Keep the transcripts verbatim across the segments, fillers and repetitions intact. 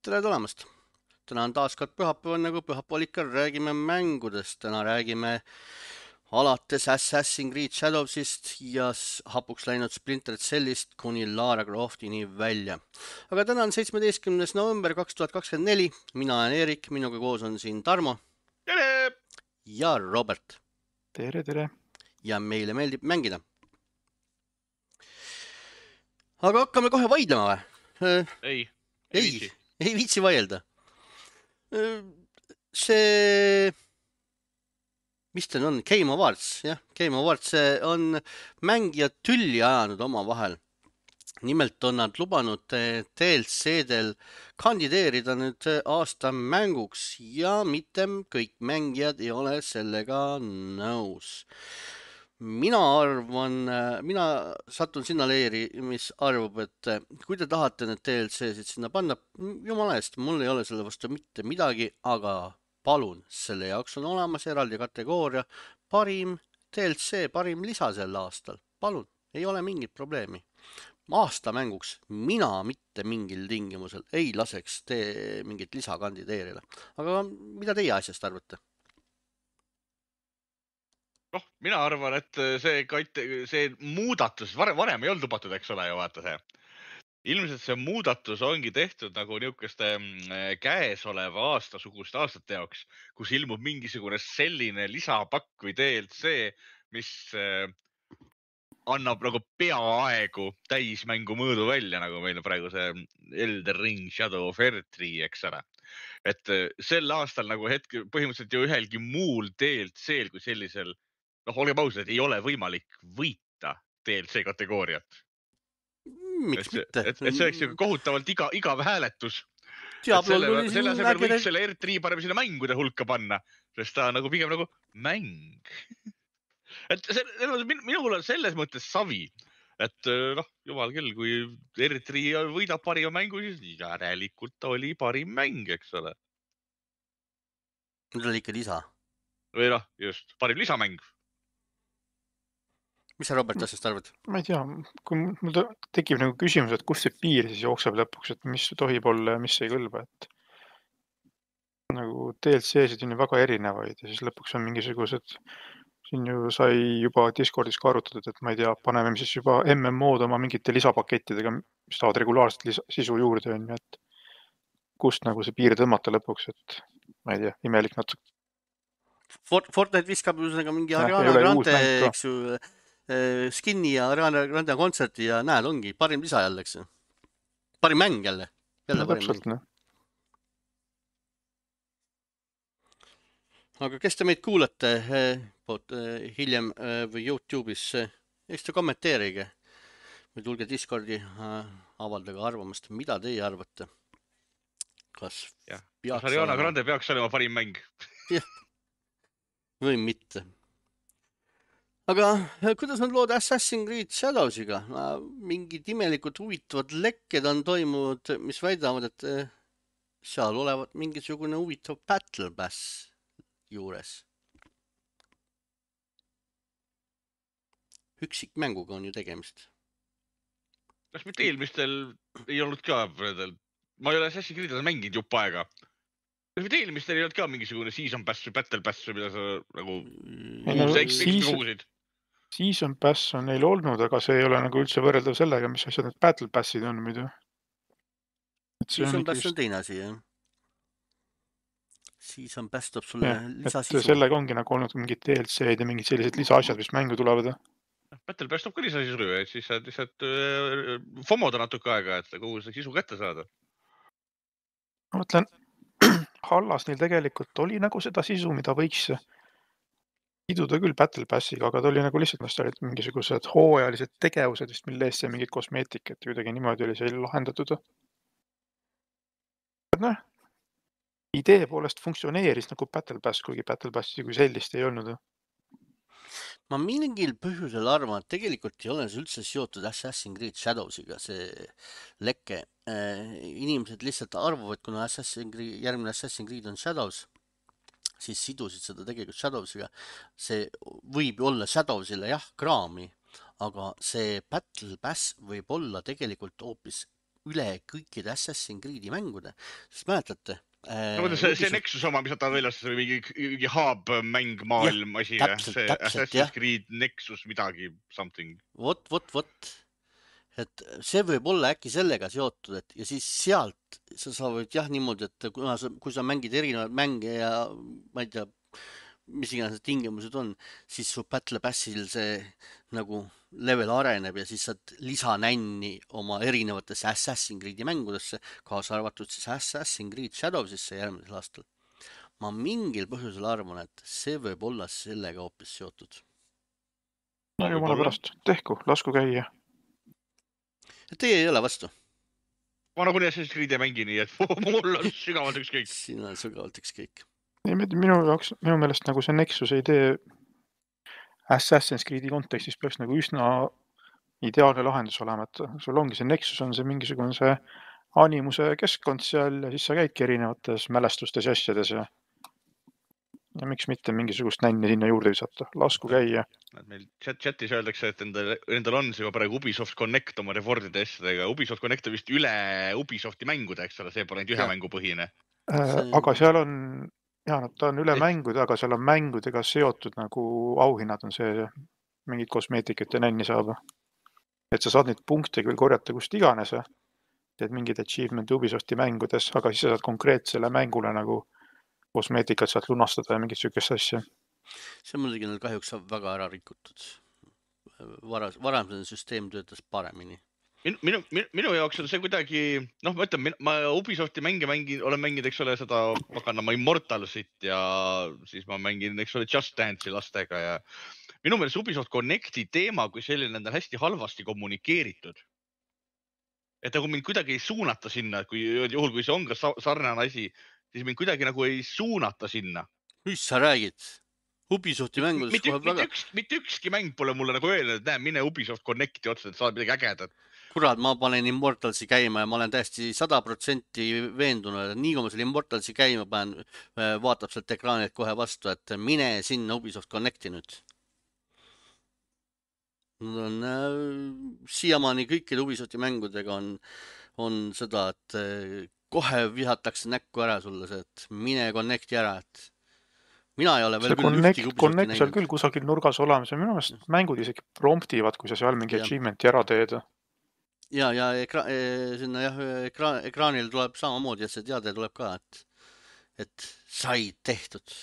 tere tulemast! Täna on taas kord pühapäeval, nagu pühapäeval ikka räägime mängudest. Täna räägime alates Assassin's Creed Shadowsist ja hapuks läinud Splinter Cellist kuni Lara Croftini välja. Aga täna on seitsmeteistkümnes november kaks tuhat kakskümmend neli. Mina olen Erik, minuga koos on siin Tarmo. Tere! Ja Robert. Tere, tere. Ja meile meeldib mängida. Aga hakkame kohe vaidlema või? Ei, ei, ei, viitsi. ei viitsi vaielda. See, mis ta on? Game Awards, jah. Game Awards on mängijad tülli ajanud oma vahel. Nimelt on nad lubanud D L C-del kandideerida nüüd aasta mänguks ja mitte kõik mängijad ei ole sellega nõus. Mina arvan, mina satun sinna leeri, mis arvab, et kui te tahate need D L C-sid sinna panna, jumala eest, mul ei ole selle vastu mitte midagi, aga palun, selle jaoks on olemas eraldi kategooria parim D L C, parim lisa sel aastal. Palun, ei ole mingit probleemi. Aasta mänguks mina mitte mingil tingimusel ei laseks te mingit lisa kandideerida. Aga mida teie asjast arvate? Noh, mina arvan, et see, see muudatus, varem, varem ei olnud lubatud, eks ole, ju vaata see. Ilmselt see muudatus ongi tehtud nagu niisuguste käesoleva aastasuguste aastate jaoks, kus ilmub mingisugune selline lisapakk või D L C, mis annab nagu peaaegu täismängu mõõdu välja, nagu meil praegu see Elden Ring Shadow of Erdtree, eks ole. Et sel aastal nagu hetke põhimõtteliselt ju ühelgi muul D L C-l kui sellisel, noh, olgem ausad, et ei ole võimalik võita D L C kategooriat. Miks et, mitte? Et, et see oleks ju kohutavalt iga, igav hääletus. Selle, selle asemel võiks selle Erdtree parem sinna mängude hulka panna, sest ta nagu pigem nagu mäng. et see, minul on selles mõttes savi, et noh, jumal küll, kui Erdtree võidab parima mängu, siis järelikult oli parim mäng, eks ole. Nüüd oli ikka lisa. Või noh, just, parim lisamäng. Mis sa Robert asjast arvad? Ma ei tea, kui mul tekib nagu küsimus, et kus see piir siis jookseb lõpuks, et mis tohib olla ja mis ei kõlba, et nagu D L C-sid on ju väga erinevaid ja siis lõpuks on mingisugused, siin ju sai juba Discordis ka arutatud, et ma ei tea, paneme siis juba M M O-d oma mingite lisapakettidega, mis tahavad regulaarselt lisa, sisu juurde, on ju, et kust nagu see piir tõmmata lõpuks, et ma ei tea, imelik natuke. Fortnite viskab üsnega mingi Ariana Grande, eks ju, skinni ja Ariana Grande kontserti ja näed, ongi parim lisa jälle, eks ju. Parim mäng jälle. jälle no, täpselt, noh. Aga kes te meid kuulate hiljem või YouTube'is, eks te kommenteerige või tulge Discordi, avaldage arvamust, mida teie arvate. Kas ja. peaks Ariana olema... Grande peaks olema parim mäng? jah, või mitte. Aga kuidas on lood Assassin's Creed Shadowsiga? Mingid imelikult huvitavad lekked on toimunud, mis väidavad, et seal olevat mingisugune huvitav Battle Pass juures. Üksikmänguga on ju tegemist. Kas mitte eelmistel ei olnud ka, ma ei ole Assassin's Creed mänginud jupp aega. Kas mitte eelmistel ei olnud ka mingisugune Season Pass või Battle Pass või mida sa nagu kuhusid? Season Pass on neil olnud, aga see ei ole nagu üldse võrreldav sellega, mis asjad need Battle Passid on muidu. Season Pass on teine asi, jah. Season Pass toob sulle lisasisu. Sellega ongi nagu olnud mingid D L C-d ja mingid sellised lisaasjad, mis mängu tulevad. Battle Pass toob ka lisasisu, et siis saad lihtsalt fomoda natuke aega, et kogu see sisu kätte saada. Ma mõtlen, Hallas neil tegelikult oli nagu seda sisu, mida võiks siduda küll Battle Passiga, aga ta oli nagu lihtsalt, mis olid mingisugused hooajalised tegevused, vist mille eest see mingid kosmeetik, et kuidagi niimoodi oli see lahendatud. Noh, idee poolest funktsioneeris nagu Battle Pass, kuigi Battle Passi kui sellist ei olnud. Ma mingil põhjusel arvan, et tegelikult ei ole see üldse seotud Assassin's Creed Shadowsiga, see lekke. Inimesed lihtsalt arvavad, kuna Assassin's Creed, järgmine Assassin's Creed on Shadows, siis sidusid seda tegelikult Shadowsiga. See võib olla Shadowsile jah kraami, aga see Battle Pass võib olla tegelikult hoopis üle kõikide Assassin's Creed'i mängude. Sest mäletate? No, see, see Ubisoft... Nexus oma, mis ta väljas, see mingi, mingi hub mäng maailm asi. Täpselt, see täpselt, Assassin's jah. Creed Nexus midagi, something. Vot, vot, vot. Et see võib olla äkki sellega seotud, et ja siis sealt sa saavad jah niimoodi, et kui sa, kui sa mängid erinevaid mänge ja ma ei tea, mis iganes tingimused on, siis su Battle Passil see nagu level areneb ja siis saad lisanänni oma erinevatesse Assassin's Creed'i mängudesse, kaasa arvatud siis Assassin's Creed Shadowsisse järgmisel aastal. Ma mingil põhjusel arvan, et see võib olla sellega hoopis seotud. No jumala pärast, tehku, lasku käia. Teie ei ole vastu? Ma nagunii Assassin's Creed ei mängi nii, et mul on sügavalt ükskõik. Siin on sügavalt ükskõik. Minu jaoks, minu meelest nagu see Nexus idee Assassin's Creed'i kontekstis peaks nagu üsna ideaalne lahendus olema, et sul ongi see Nexus on see mingisugune see animuse keskkond seal ja siis sa käidki erinevates mälestustes ja asjades ja ja miks mitte mingisugust nänni sinna juurde visata, lasku käia. Meil chat chatis öeldakse, et endal, endal on see praegu Ubisoft Connect oma rewardide asjadega. Ubisoft Connect on vist üle Ubisofti mängude, eks ole, see pole ainult ühe mängu põhine. Äh, aga seal on, jah, ta on üle et... mängude, aga seal on mängudega seotud nagu auhinnad on see, mingid kosmeetikud ja nänni saab. Et sa saad neid punkte küll korjata kust iganes, teed mingid achievement Ubisofti mängudes, aga siis sa saad konkreetsele mängule nagu kosmeetikat saad lunastada ja mingit sükest asja. See on muidugi neil kahjuks väga ära rikutud. Varas, varamsene süsteem töötas paremini. Minu, minu, minu jaoks on see kuidagi, noh, ma ütlen, ma Ubisofti mänge mängin, olen mänginud, eks ole, seda pakanama Immortalsit ja siis ma mängin, eks ole, Just Dance'i lastega ja minu meelest Ubisoft Connecti teema, kui selline on hästi halvasti kommunikeeritud. Et nagu mind kuidagi ei suunata sinna, kui juhul, kui see on ka sarnane asi, siis mind kuidagi nagu ei suunata sinna. Mis sa räägid? Ubisofti mängudes mitte, kohe mitte, väga... üks, mitte ükski mäng pole mulle nagu öelnud, et näe, mine Ubisoft Connecti otsa, et saad midagi ägedat. Kurat, ma panen Immortalsi käima ja ma olen täiesti sada protsenti veendunud, et nii kui ma selle Immortalsi käima panen, vaatab sealt ekraanilt kohe vastu, et mine sinna Ubisoft Connecti nüüd. Nad on äh, siiamaani kõikide Ubisofti mängudega on, on seda, et äh, kohe vihatakse näkku ära sulle see, et mine connecti ära, et mina ei ole veel see küll connect, ühtegi Ubisofti connect näinud. seal küll kusagil nurgas olemas ja minu meelest mängud isegi promptivad, kui sa seal mingi ja. Achievementi ära teed. Ja, ja ekra sinna jah, ekra ekraanil tuleb samamoodi, et see teade tuleb ka, et, et sai tehtud.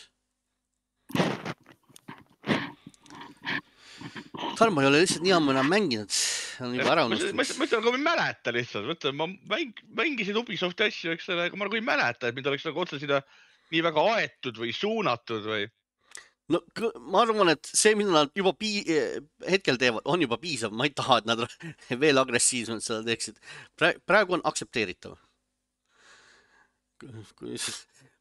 Tarmo ei ole lihtsalt nii ammu enam mänginud, on juba ära unustunud. Ma ütlen, aga ma ei mäleta lihtsalt, mõtlen, ma mäng, mängisin Ubisofti asju, eks ole, aga ma nagu ei mäleta, et mind oleks nagu otsa sinna nii väga aetud või suunatud või... No ma arvan, et see, mida nad juba pii hetkel teevad, on juba piisav. Ma ei taha, et nad veel agressiivsemalt seda teeksid. Praegu on aktsepteeritav.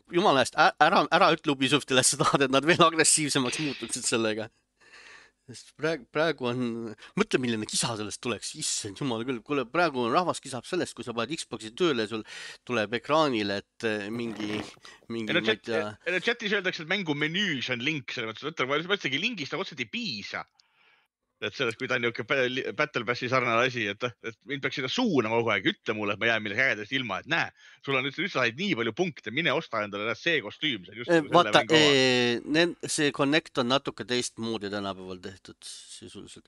Jumala eest, ära, ära ütle Ubisoftile, et sa tahad, et nad veel agressiivsemaks muutuksid sellega. Praegu, praegu on, mõtle, milline kisa sellest tuleks, issand jumala küll, kuule, praegu rahvas kisab sellest, kui sa paned Xboxi tööle, sul tuleb ekraanile, et mingi, mingi, ma ei tea. Chatis öeldakse, et mängu menüüs on link, selle mõttes, ma mõtlengi lingist, aga otseselt ei piisa. Et sellest, kui ta on niisugune Battle Passi sarnane asi, et, et mind peaks seda suunama kogu aeg, ütle mulle, et ma jään millegi ägedast ilma, et näe, sul on üldse said nii palju punkte, mine osta endale see kostüüm. See just vaata, ee, see Connect on natuke teistmoodi tänapäeval tehtud sisuliselt.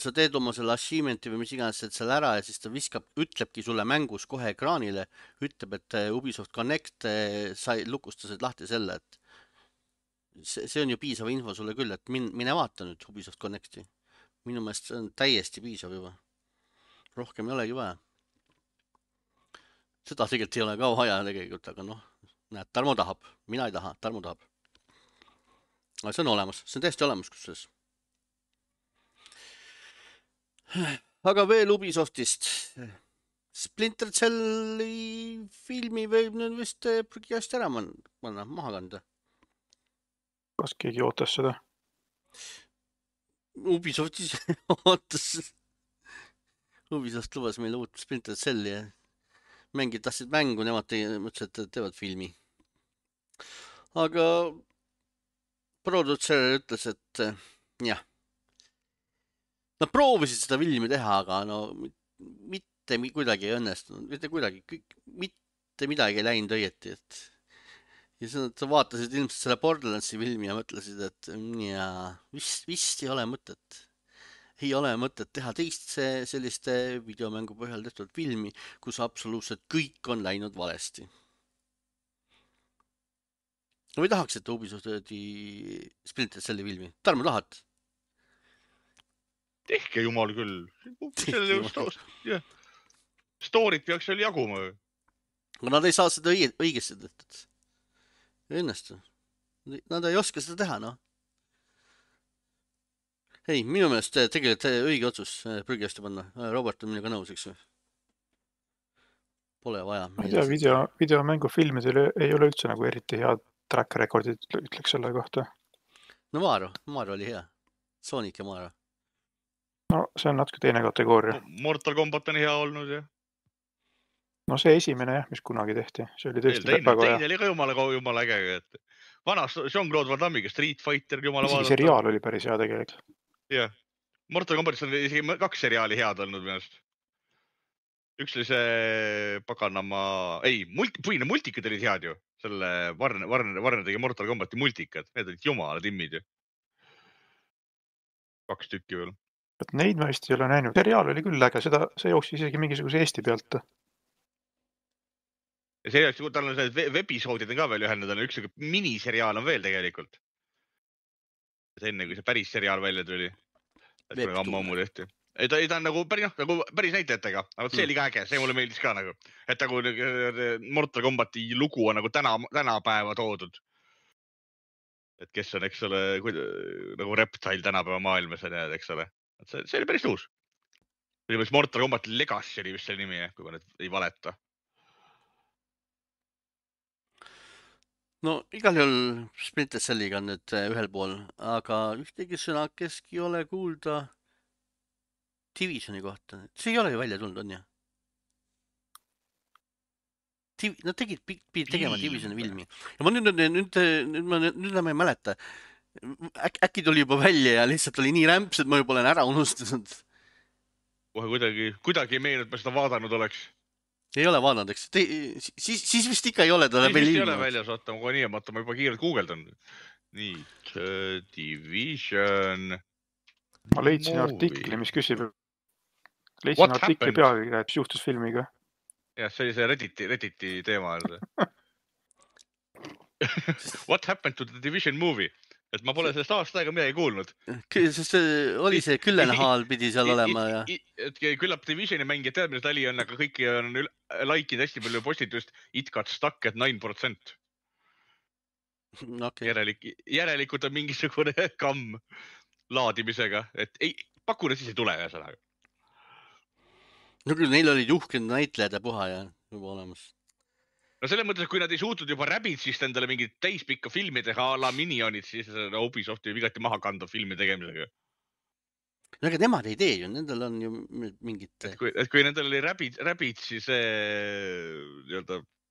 Sa teed oma selle achievement'i või mis iganes seal ära ja siis ta viskab, ütlebki sulle mängus kohe ekraanile, ütleb, et Ubisoft Connect sai lukustasid lahti selle, et see, see on ju piisav info sulle küll, et min, mine vaata nüüd Ubisoft Connecti. Minu meelest see on täiesti piisav juba. Rohkem ei olegi vaja. Seda tegelikult ei ole ka vaja tegelikult, aga noh, näed, Tarmo tahab. Mina ei taha, Tarmo tahab. Aga see on olemas, see on täiesti olemas kusses. Aga veel Ubisoftist. Splinter Celli filmi võib nüüd vist prügiast ära manna, maha kanda. Kas keegi ootas seda? Ubisoftis ootas. Ubisoft lubas meile uut Splinter Celli ja mängid tahtsid mängu, nemad mõtlesid, et teevad filmi. Aga produtser ütles, et jah. Nad proovisid seda filmi teha, aga no mit, mitte kuidagi ei õnnestunud, mitte kuidagi, mitte midagi ei läinud õieti, et ja siis nad vaatasid ilmselt selle Borderlandsi filmi ja mõtlesid, et jaa, vist, vist ei ole mõtet. Ei ole mõtet teha teist see, selliste videomängu põhjal tehtud filmi, kus absoluutselt kõik on läinud valesti. No või tahaksite Ubisofti Splinter Celli filmi? Tarmo, tahad? Tehke jumal küll. Yeah. Storyt peaks seal jaguma. Aga nad ei saa seda õige, õigesti tehtud. Ei õnnestu. Nad ei oska seda teha, noh. Ei, minu meelest tegelikult õige otsus prügiasti panna. Robert on minuga nõus, eks ju. Pole vaja. Ma ei tea, video, videomängu filmidel ei ole üldse nagu eriti head track recordid, ütleks selle kohta. No Mario, Mario oli hea. Sonic ja Mario. No see on natuke teine kategooria. Mortal Kombat on hea olnud, jah. No see esimene, jah, mis kunagi tehti. See oli tõesti teine, väga hea. Teine oli ka jumala, jumala äge. Et vana Jean-Claude Van Dammiga Street Fighter jumala vaadata. Isegi seriaal oli päris hea tegelikult. Jah. Mortal Kombatis on isegi kaks seriaali head olnud minust. Üks oli see paganama... Ei, multi, põhine multikad olid head ju. Selle Warner, Warner, Warner tegi Mortal Kombati multikad. Need olid jumala timmid ju. Kaks tükki veel. Et neid ma vist ei ole näinud. Seriaal oli küll äge. Seda, see jooksis isegi mingisuguse Eesti pealt. Ja see, tal on see webisoodid on ka veel ühel, tal on üks miniseriaal on veel tegelikult. Enne kui see päris seriaal välja tuli. Et ammu ammu tehti. Ei, ta, ei, ta on nagu päris, no, nagu päris näitajatega. Aga see oli ka äge, see mulle meeldis ka nagu. Et nagu Mortal Kombati lugu on nagu täna, tänapäeva toodud. Et kes on, eks ole, nagu Reptile tänapäeva maailmas, eks ole. Et see, see oli päris tuus. Mortal Kombat Legacy oli vist selle nimi, kui ma nüüd ei valeta. No igal juhul Splinter Celliga on nüüd ühel pool, aga ühtegi sõna keski ei ole kuulda Divisioni kohta. See ei ole ju välja tulnud, on ju? Nad tegid, pidid tegema Divisioni filmi. Ja ma nüüd, nüüd, nüüd, nüüd, ma, nüüd ma ei mäleta. Äk, äkki tuli juba välja ja lihtsalt oli nii rämps, et ma juba olen ära unustanud. Kohe kuidagi, kuidagi ei meenu, et ma seda vaadanud oleks. Ei ole vaadanud, eks? Te, siis, siis vist ikka ei ole ta veel ilmanud. Ei ole väljas, oota, ma nii, ma juba kiirelt guugeldan. Nii, Division. Ma leidsin movie. Artikli, mis küsib. Leidsin What artikli happened? Pealkirja, et juhtus filmiga. Jah, see oli see Redditi, Redditi teema. What happened to the Division movie? Et ma pole sellest aasta aega midagi kuulnud. Sest oli see Küllenhaal pidi seal olema. Ja... Et küllap Divisioni mängija tead, mis tali on, aga kõiki on laikid hästi palju postitust. It got stuck at nine percent. Okay. Järelik, järelikult on mingisugune kamm laadimisega. Et ei, pakuna siis ei tule ühesõnaga. No küll, neil olid juhkend näitlejad ja puha ja juba olemas. No selles mõttes, et kui nad ei suutnud juba Rabbidsist endale mingit täispikka filmi teha a la Minionid, siis Ubisoft võib igati maha kanda filmi tegemisega. No aga nemad ei tee ju, nendel on ju mingit... Et kui, et kui nendel oli Rabbids, Rabbids siis see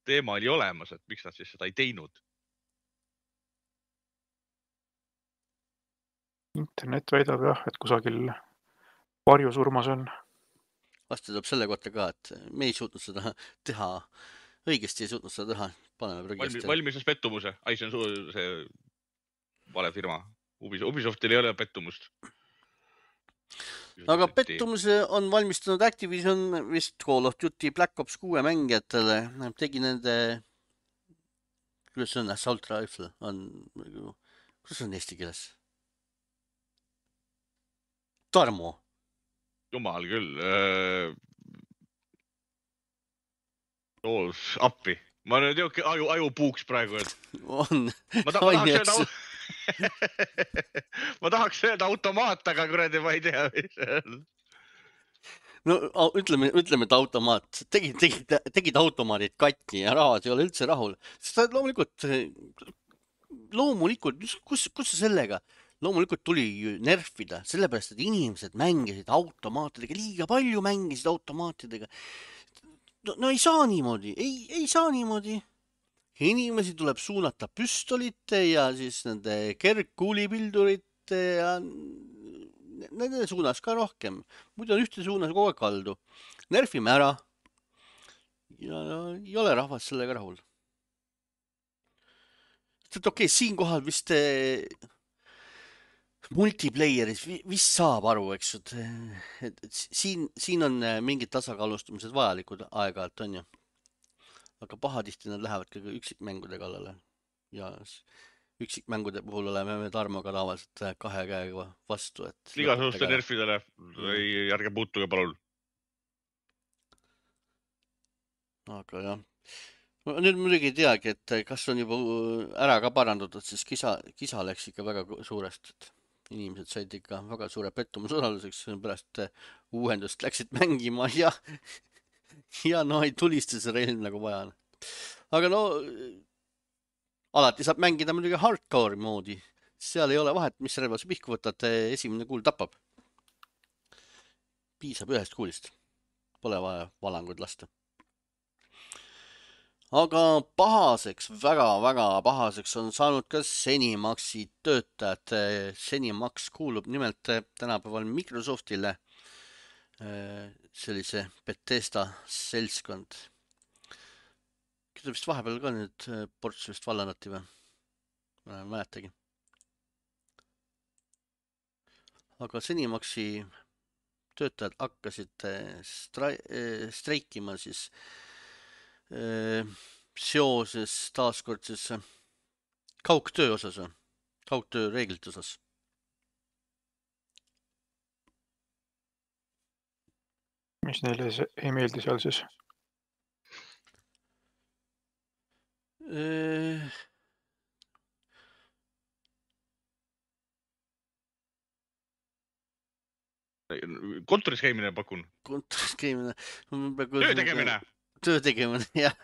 teema oli olemas, et miks nad siis seda ei teinud? Internet väidab jah, et kusagil varjusurmas on. Vastu tuleb selle kohta ka, et me ei suutnud seda teha... Õigesti ei suutnud seda teha. Paneme prügist. Valmises pettumuse. Ai, see on su, see vale firma. Ubisoftil ei ole pettumust. Aga pettumuse on valmistanud Activision vist Call of Duty Black Ops kuue mängijatele. Tegi nende, kuidas on Assault Rifle, on, kuidas on eesti keeles? Tarmo. Jumal küll. Oh, appi. Ma nüüd jõuke aju, aju puuks praegu. Et... On. Ma, ta, ma, tahaks öelda... ma tahaks öelda automaat, aga kuradi ma ei tea. No ütleme, ütleme, et automaat. Tegid, tegid, tegid automaadid katni ja rahad ei ole üldse rahul. Sest loomulikult, loomulikult, kus, kus sellega? Loomulikult tuli nerfida, sellepärast, et inimesed mängisid automaatidega, liiga palju mängisid automaatidega. No, no ei saa niimoodi, ei, ei saa niimoodi. Inimesi tuleb suunata püstolite ja siis nende kergkuulipildurite ja nende suunas ka rohkem. Muidu on ühte suunas kogu aeg kaldu. nerfime ära ja ei ole rahvas sellega rahul. et okei okay,, siinkohal vist eh, multiplayeris vist saab aru, eks ju, et, et siin, siin on mingid tasakaalustamised vajalikud aeg-ajalt, on ju. aga pahatihti nad lähevad ka üksikmängude kallale ja üksikmängude puhul oleme me Tarmoga tavaliselt kahe käega vastu, et igasuguste nerfidele ei, ärge puutuge palun. aga jah, nüüd muidugi ei teagi, et kas on juba ära ka parandatud, siis kisa, kisa läks ikka väga suurest, et inimesed said ikka väga suure pettumuse osaluseks, pärast uuendust läksid mängima ja ja no ei tulista see relv nagu vaja. aga no alati saab mängida muidugi hardcore moodi, seal ei ole vahet, mis relva sa pihku võtad, esimene kuul tapab. piisab ühest kuulist, pole vaja valanguid lasta. aga pahaseks, väga-väga pahaseks on saanud ka Zenimaxi töötajad. Zenimax kuulub nimelt tänapäeval Microsoftile, sellise Bethesda seltskond. Küll vist vahepeal ka nüüd ports vist vallandati või? Ma ei mäletagi. aga Zenimaxi töötajad hakkasid streikima siis seoses taaskord siis kaugtöö osas, kaugtöö reeglite osas. mis neile ei meeldi seal siis? kontoris käimine pakun. kontoris käimine. töö tegemine. töö tegemine, jah.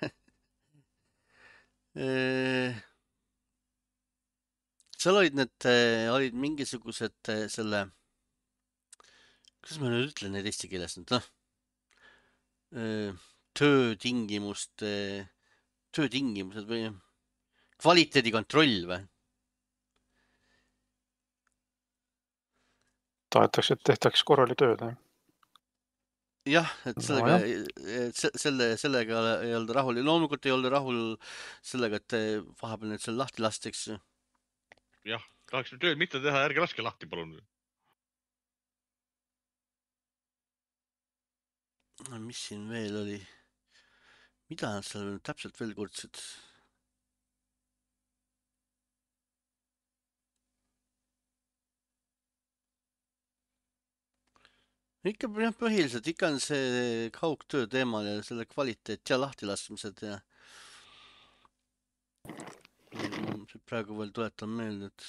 seal olid need, olid mingisugused selle, kuidas ma nüüd ütlen neid eesti keeles nüüd, noh, töötingimuste, töötingimused või kvaliteedikontroll või? tahetakse, et tehtaks korrali tööd, jah? jah, et sellega no,, et selle, sellega ei olnud rahul ja loomulikult ei olnud rahul sellega, et vahepeal need seal lahti lasteks. jah, tahaks tööd mitte teha, ärge laske lahti, palun. mis siin veel oli? mida nad seal täpselt veel kurtsid? ikka jah, põhiliselt ikka on see kaugtöö teemal ja selle kvaliteet ja lahtilaskmised ja praegu veel tuletan meelde, et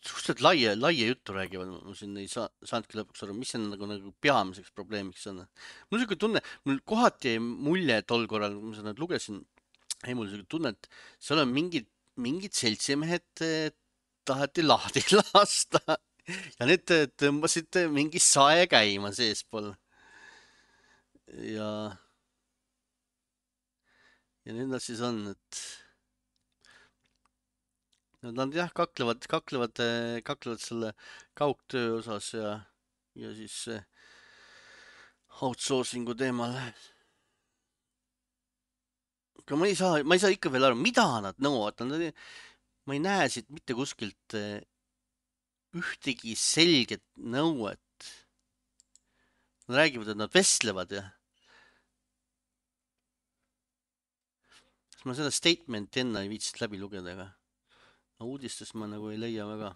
suhteliselt laia, laia juttu räägivad, ma siin ei saa, saanudki lõpuks aru, mis see nagu, nagu peamiseks probleemiks on. mul niisugune tunne, mul kohati mulje tol korral, kui ma seda lugesin, ei mul niisugune tunne, et seal on mingid, mingid seltsimehed taheti lahti lasta ja need tõmbasid mingi sae käima seespool. ja ja nüüd nad siis on, et nad jah, kaklevad, kaklevad, kaklevad selle kaugtöö osas ja, ja siis outsourcingu teemal. aga ma ei saa, ma ei saa ikka veel aru, mida nad nõuavad. ma ei näe siit mitte kuskilt ühtegi selget nõuet. Nad räägivad, et nad vestlevad ja ma seda statementi enne ei viitsinud läbi lugeda, aga uudistest ma nagu ei leia väga.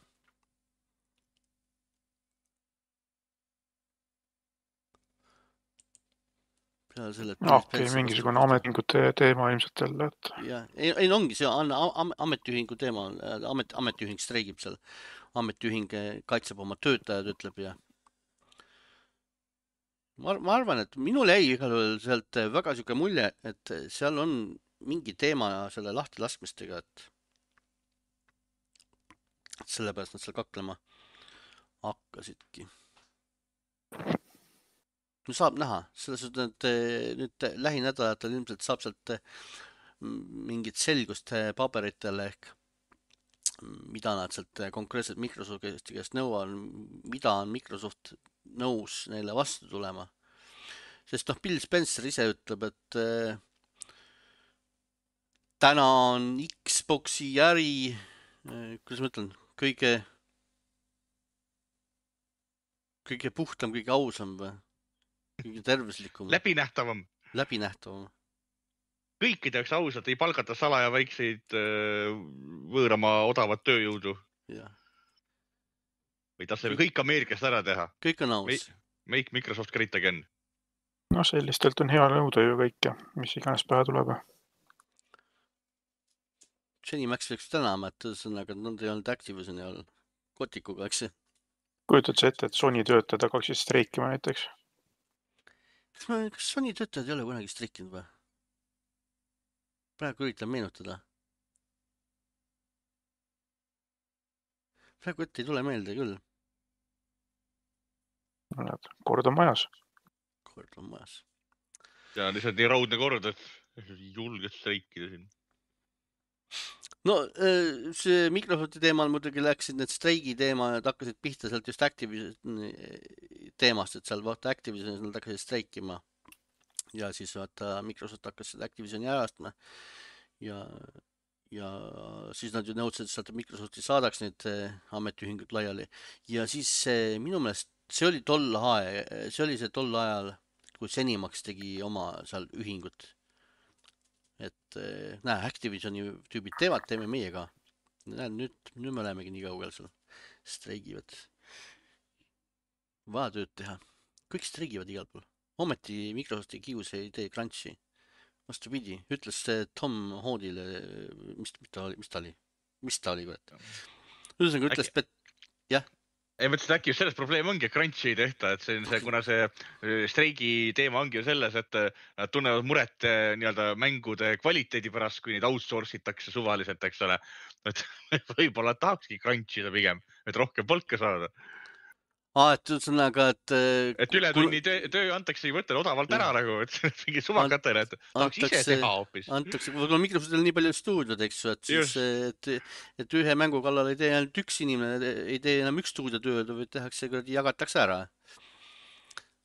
peale selle, et no, okei, okay, mingisugune ametiühingute teema ilmselt jälle, et jah, ei, ei ongi see am, am, ametiühingu teema, amet, ametiühing streigib seal, ametiühing kaitseb oma töötajad, ütleb ja ma, ma arvan, et minul jäi igal juhul sealt väga siuke mulje, et seal on mingi teema selle lahti laskmistega, et sellepärast nad seal kaklema hakkasidki. no saab näha, selles suhtes, et nüüd lähinädalatel ilmselt saab sealt mingit selgust paberitele ehk mida nad sealt konkreetselt Microsofti käest nõuavad, mida on Microsoft nõus neile vastu tulema. Sest noh, Bill Spencer ise ütleb, et äh, täna on Xbox'i äri, äh, kuidas ma ütlen, kõige, kõige puhtam, kõige ausam või kõige tervislikum, läbinähtavam. läbinähtavam. Kõikide jaoks ausalt, ei palgata salaja väikseid võõramaa odavat tööjõudu. Ja. Või taas selle kõik Ameerikast ära teha. Kõik on aus. Make Microsoft great again. No sellistelt on hea nõuda ju kõike, mis iganes pähe tuleb. Jenny Max võiks tänama, et sõnaga, et nad ei olnud Activisioni all kotikuga, eks see? Kujutad sa ette, et Sony töötajad hakkaksid streikima näiteks? Kas, ma, kas Sony töötajad ei ole kunagi streikinud või? Praegu üritan meenutada. Praegu ette ei tule meelde küll. Kord on majas. Kord on majas. Ja lihtsalt nii raudne kord, et julged streikida siin. No see Microsofti teemal muidugi läksid need streigi teema, et hakkasid pihta sealt just Activision teemast, et seal vaata Activisionis nad hakkasid streikima. Ja siis vaata Microsoft hakkas seda Activisioni ärastma ja, ja siis nad ju nõudsid, et sealt Microsofti saadaks need ametiühingud laiali. Ja siis minu meelest see oli tol aeg, see oli see tol ajal, kui Zenimax tegi oma seal ühingut. Et näe, Activisioni tüübid teevad, teeme meie ka. Näe, nüüd, nüüd me olemegi nii kaugel seal. Streigivad. Vaja tööd teha. Kõik streigivad igal pool. Ometi Microsofti kius ei tee crunchi. Vastu pidi. Ütles Tom Hoodile, mis, mis ta oli? Mis ta oli? Mis ta oli? Ühesõnaga ütles, et jah. Ei mõtlesin, äkki selles probleem ongi, et crunchi ei tehta, et see on see, kuna see streigi teema ongi ju selles, et nad tunnevad muret nii-öelda mängude kvaliteedi pärast, kui neid outsource itakse suvaliselt, eks ole. Et võib-olla tahakski crunchida pigem, et rohkem palka saada. Aa, et üldsonaga, et... Et üle tunni töö, töö antakse ei võtta odavalt ära nagu, et mingi suvakatele, et tahaks ise teha hoopis. Antakse, võib-olla Microsoftil nii palju stuudiod, eks ju, et, siis, et, et ühe mängu kallal ei tee ainult üks inimene, ei tee enam üks stuudiotööd, või tehakse, jagatakse ära.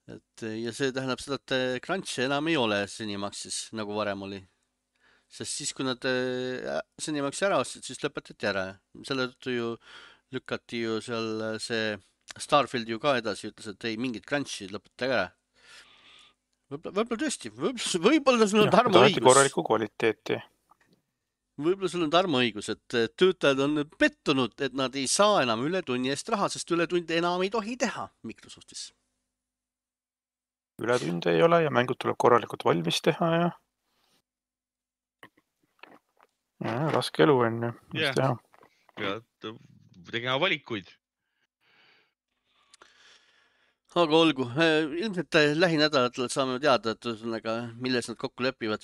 Et, ja see tähendab seda, et crunchi enam ei ole Zenimaxis, nagu varem oli. Sest siis, kui nad Zenimaxi ära ostsid, siis lõpetati ära. Selle tõttu ju lükati ju seal see Starfield ju ka edasi ütles, et ei mingit crunchi lõpetage ära. Võib-olla, võib-olla tõesti, võib-olla, võib-olla sul on Tarmo õigus. Korralikku kvaliteeti. Võib-olla sul on Tarmo õigus, et töötajad on pettunud, et nad ei saa enam üle tunni eest raha, sest üle tunde enam ei tohi teha Microsoftis. Üle tunde ei ole ja mängud tuleb korralikult valmis teha ja, ja raske elu on ju, mis yeah. teha. Ja tegema valikuid. Aga olgu, ilmselt lähinädalatel saame teada, et ühesõnaga, milles nad kokku lepivad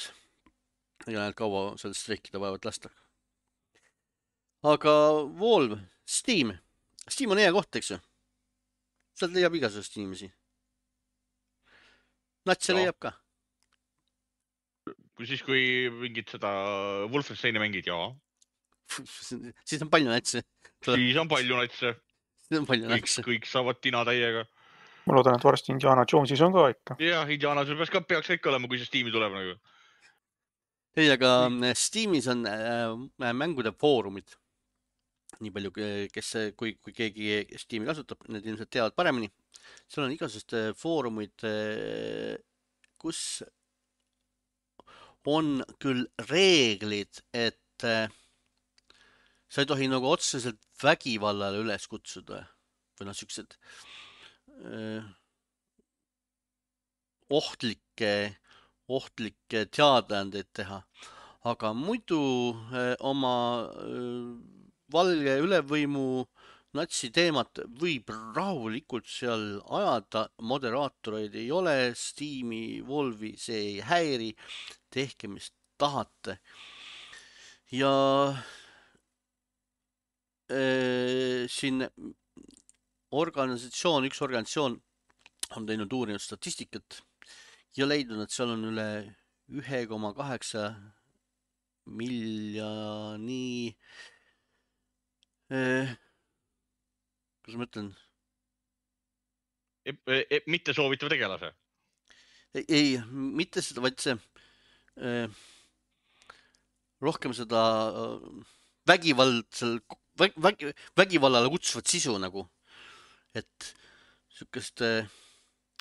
ja näed kaua seal streikida vaevad lasta. Aga Valve, Steam. Steam on hea koht, eks ju? Sealt leiab igasugust inimesi. Natse leiab ka. Kui siis, kui mingid seda Wolfensteini mängid, jaa. Siis on palju natse. Siis on palju natse. Siis on palju kõik, natse. kõik saavad tina täiega. Ma loodan, et varsti Indiana Jonesis on ka ikka. Jah, Indiana Jones peaks, peaks ikka olema, kui see Steam'i tuleb nagu. Ei, aga Steamis on äh, mängude foorumid. Nii palju, kes, kui, kui keegi Steam'i kasutab, need ilmselt teavad paremini. Seal on igasugust foorumid, kus on küll reeglid, et äh, sa ei tohi nagu otseselt vägivallale üles kutsuda. Või noh, siuksed ohtlikke, ohtlikke teadaandeid teha. Aga muidu oma valge ülevõimu natsi teemat võib rahulikult seal ajada. Moderaatoreid ei ole, Steam'i, Valve'i see ei häiri. Tehke, mis tahate. Ja äh, siin organisatsioon, üks organisatsioon on teinud uurinud statistikat ja leidnud, et seal on üle üks koma kaheksa miljoni eh, kuidas ma ütlen E, e, mitte soovitav tegelase. ei, ei, mitte seda, vaid see äh, rohkem seda äh, vägivaldsel väg, väg, vägivallale kutsuvat sisu nagu, et sihukest äh,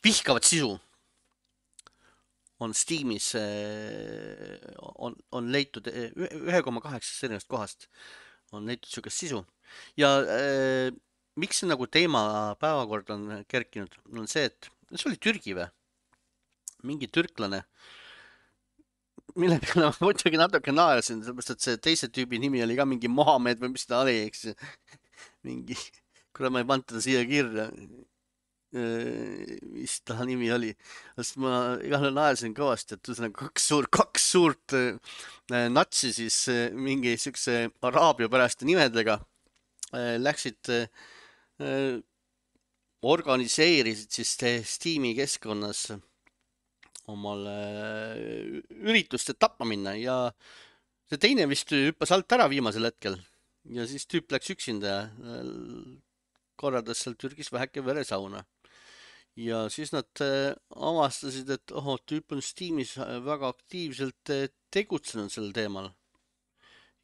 vihkavat sisu on Steamis äh, on, on leitud ühe koma kaheksast erinevast kohast on leitud sihukest sisu ja äh, miks see nagu teema päevakord on kerkinud, on see, et see oli Türgi või? Mingi türklane, mille peale ma muidugi natuke naersin, sellepärast et see teise tüübi nimi oli ka mingi Mohammed või mis ta oli, eks ju. mingi, kuule ma ei pannud teda siia kirja. mis ta nimi oli, sest ma igale naersin kõvasti, et ühesõnaga kaks suurt, kaks suurt äh, natsi siis äh, mingi siukse araabia päraste nimedega äh, läksid äh, organiseerisid siis Steam'i keskkonnas omale üritust, et tapma minna ja see teine vist hüppas alt ära viimasel hetkel ja siis tüüp läks üksinda ja korraldas seal Türgis väheke veresauna. Ja siis nad avastasid, et oho, tüüp on Steamis väga aktiivselt tegutsenud sel teemal.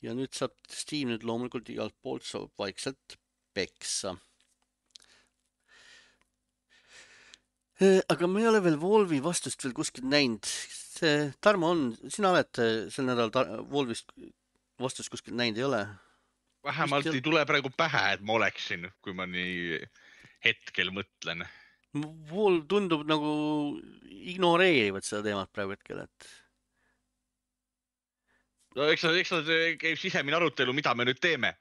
Ja nüüd saab Steam nüüd loomulikult igalt poolt saab vaikselt peksa. Aga me ei ole veel Wolvi vastust veel kuskilt näinud. Tarmo on, sina oled sel nädal Wolvist vastust kuskilt näinud, ei ole? Vähemalt Kuskil... ei tule praegu pähe, et ma oleksin, kui ma nii hetkel mõtlen. Wolv tundub nagu ignoreerivad seda teemat praegu hetkel, et... No eks nad, eks nad käib sisemine arutelu, mida me nüüd teeme.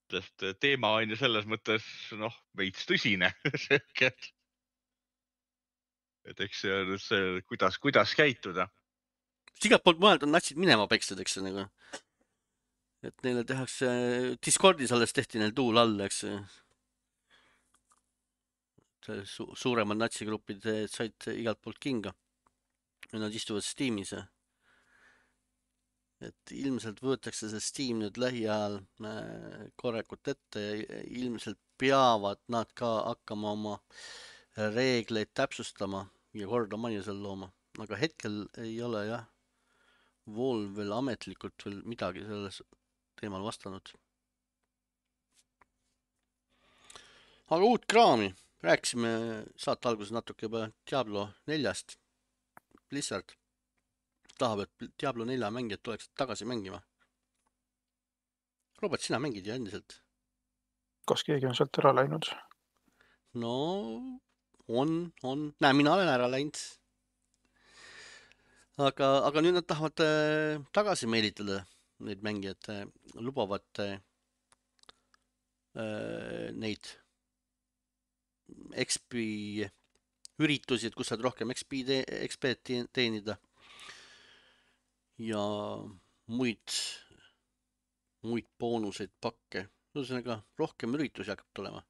Sest teema on ju selles mõttes, noh, veits tõsine. et eks see on see, kuidas, kuidas käituda. Igalt poolt mujalt on natsid minema pekstud, eks see nagu. Et neile tehakse, Discordis alles tehti neil tuul all, eks see. Su suuremad natsigrupid said igalt poolt kinga. Ja nad istuvad Steamis. Et ilmselt võetakse see Steam nüüd lähiajal korrekut ette ja ilmselt peavad nad ka hakkama oma reegleid täpsustama ja korda majja seal looma. Aga hetkel ei ole jah Wolv veel ametlikult veel midagi selles teemal vastanud. Aga uut kraami. Rääkisime saate alguses natuke juba Diablo neljast. Blizzard tahab, et Diablo nelja mängijad tuleksid tagasi mängima. Robert, sina mängid ju endiselt. Kas keegi on sealt ära läinud? No, on, on. Näe, mina olen ära läinud. Aga, aga nüüd nad tahavad äh, tagasi meelitada neid mängijad, äh, lubavad äh, neid X P üritusi, et kus saad rohkem X P te X P teenida ja muid, muid boonuseid pakke. Ühesõnaga, rohkem üritusi hakkab tulema.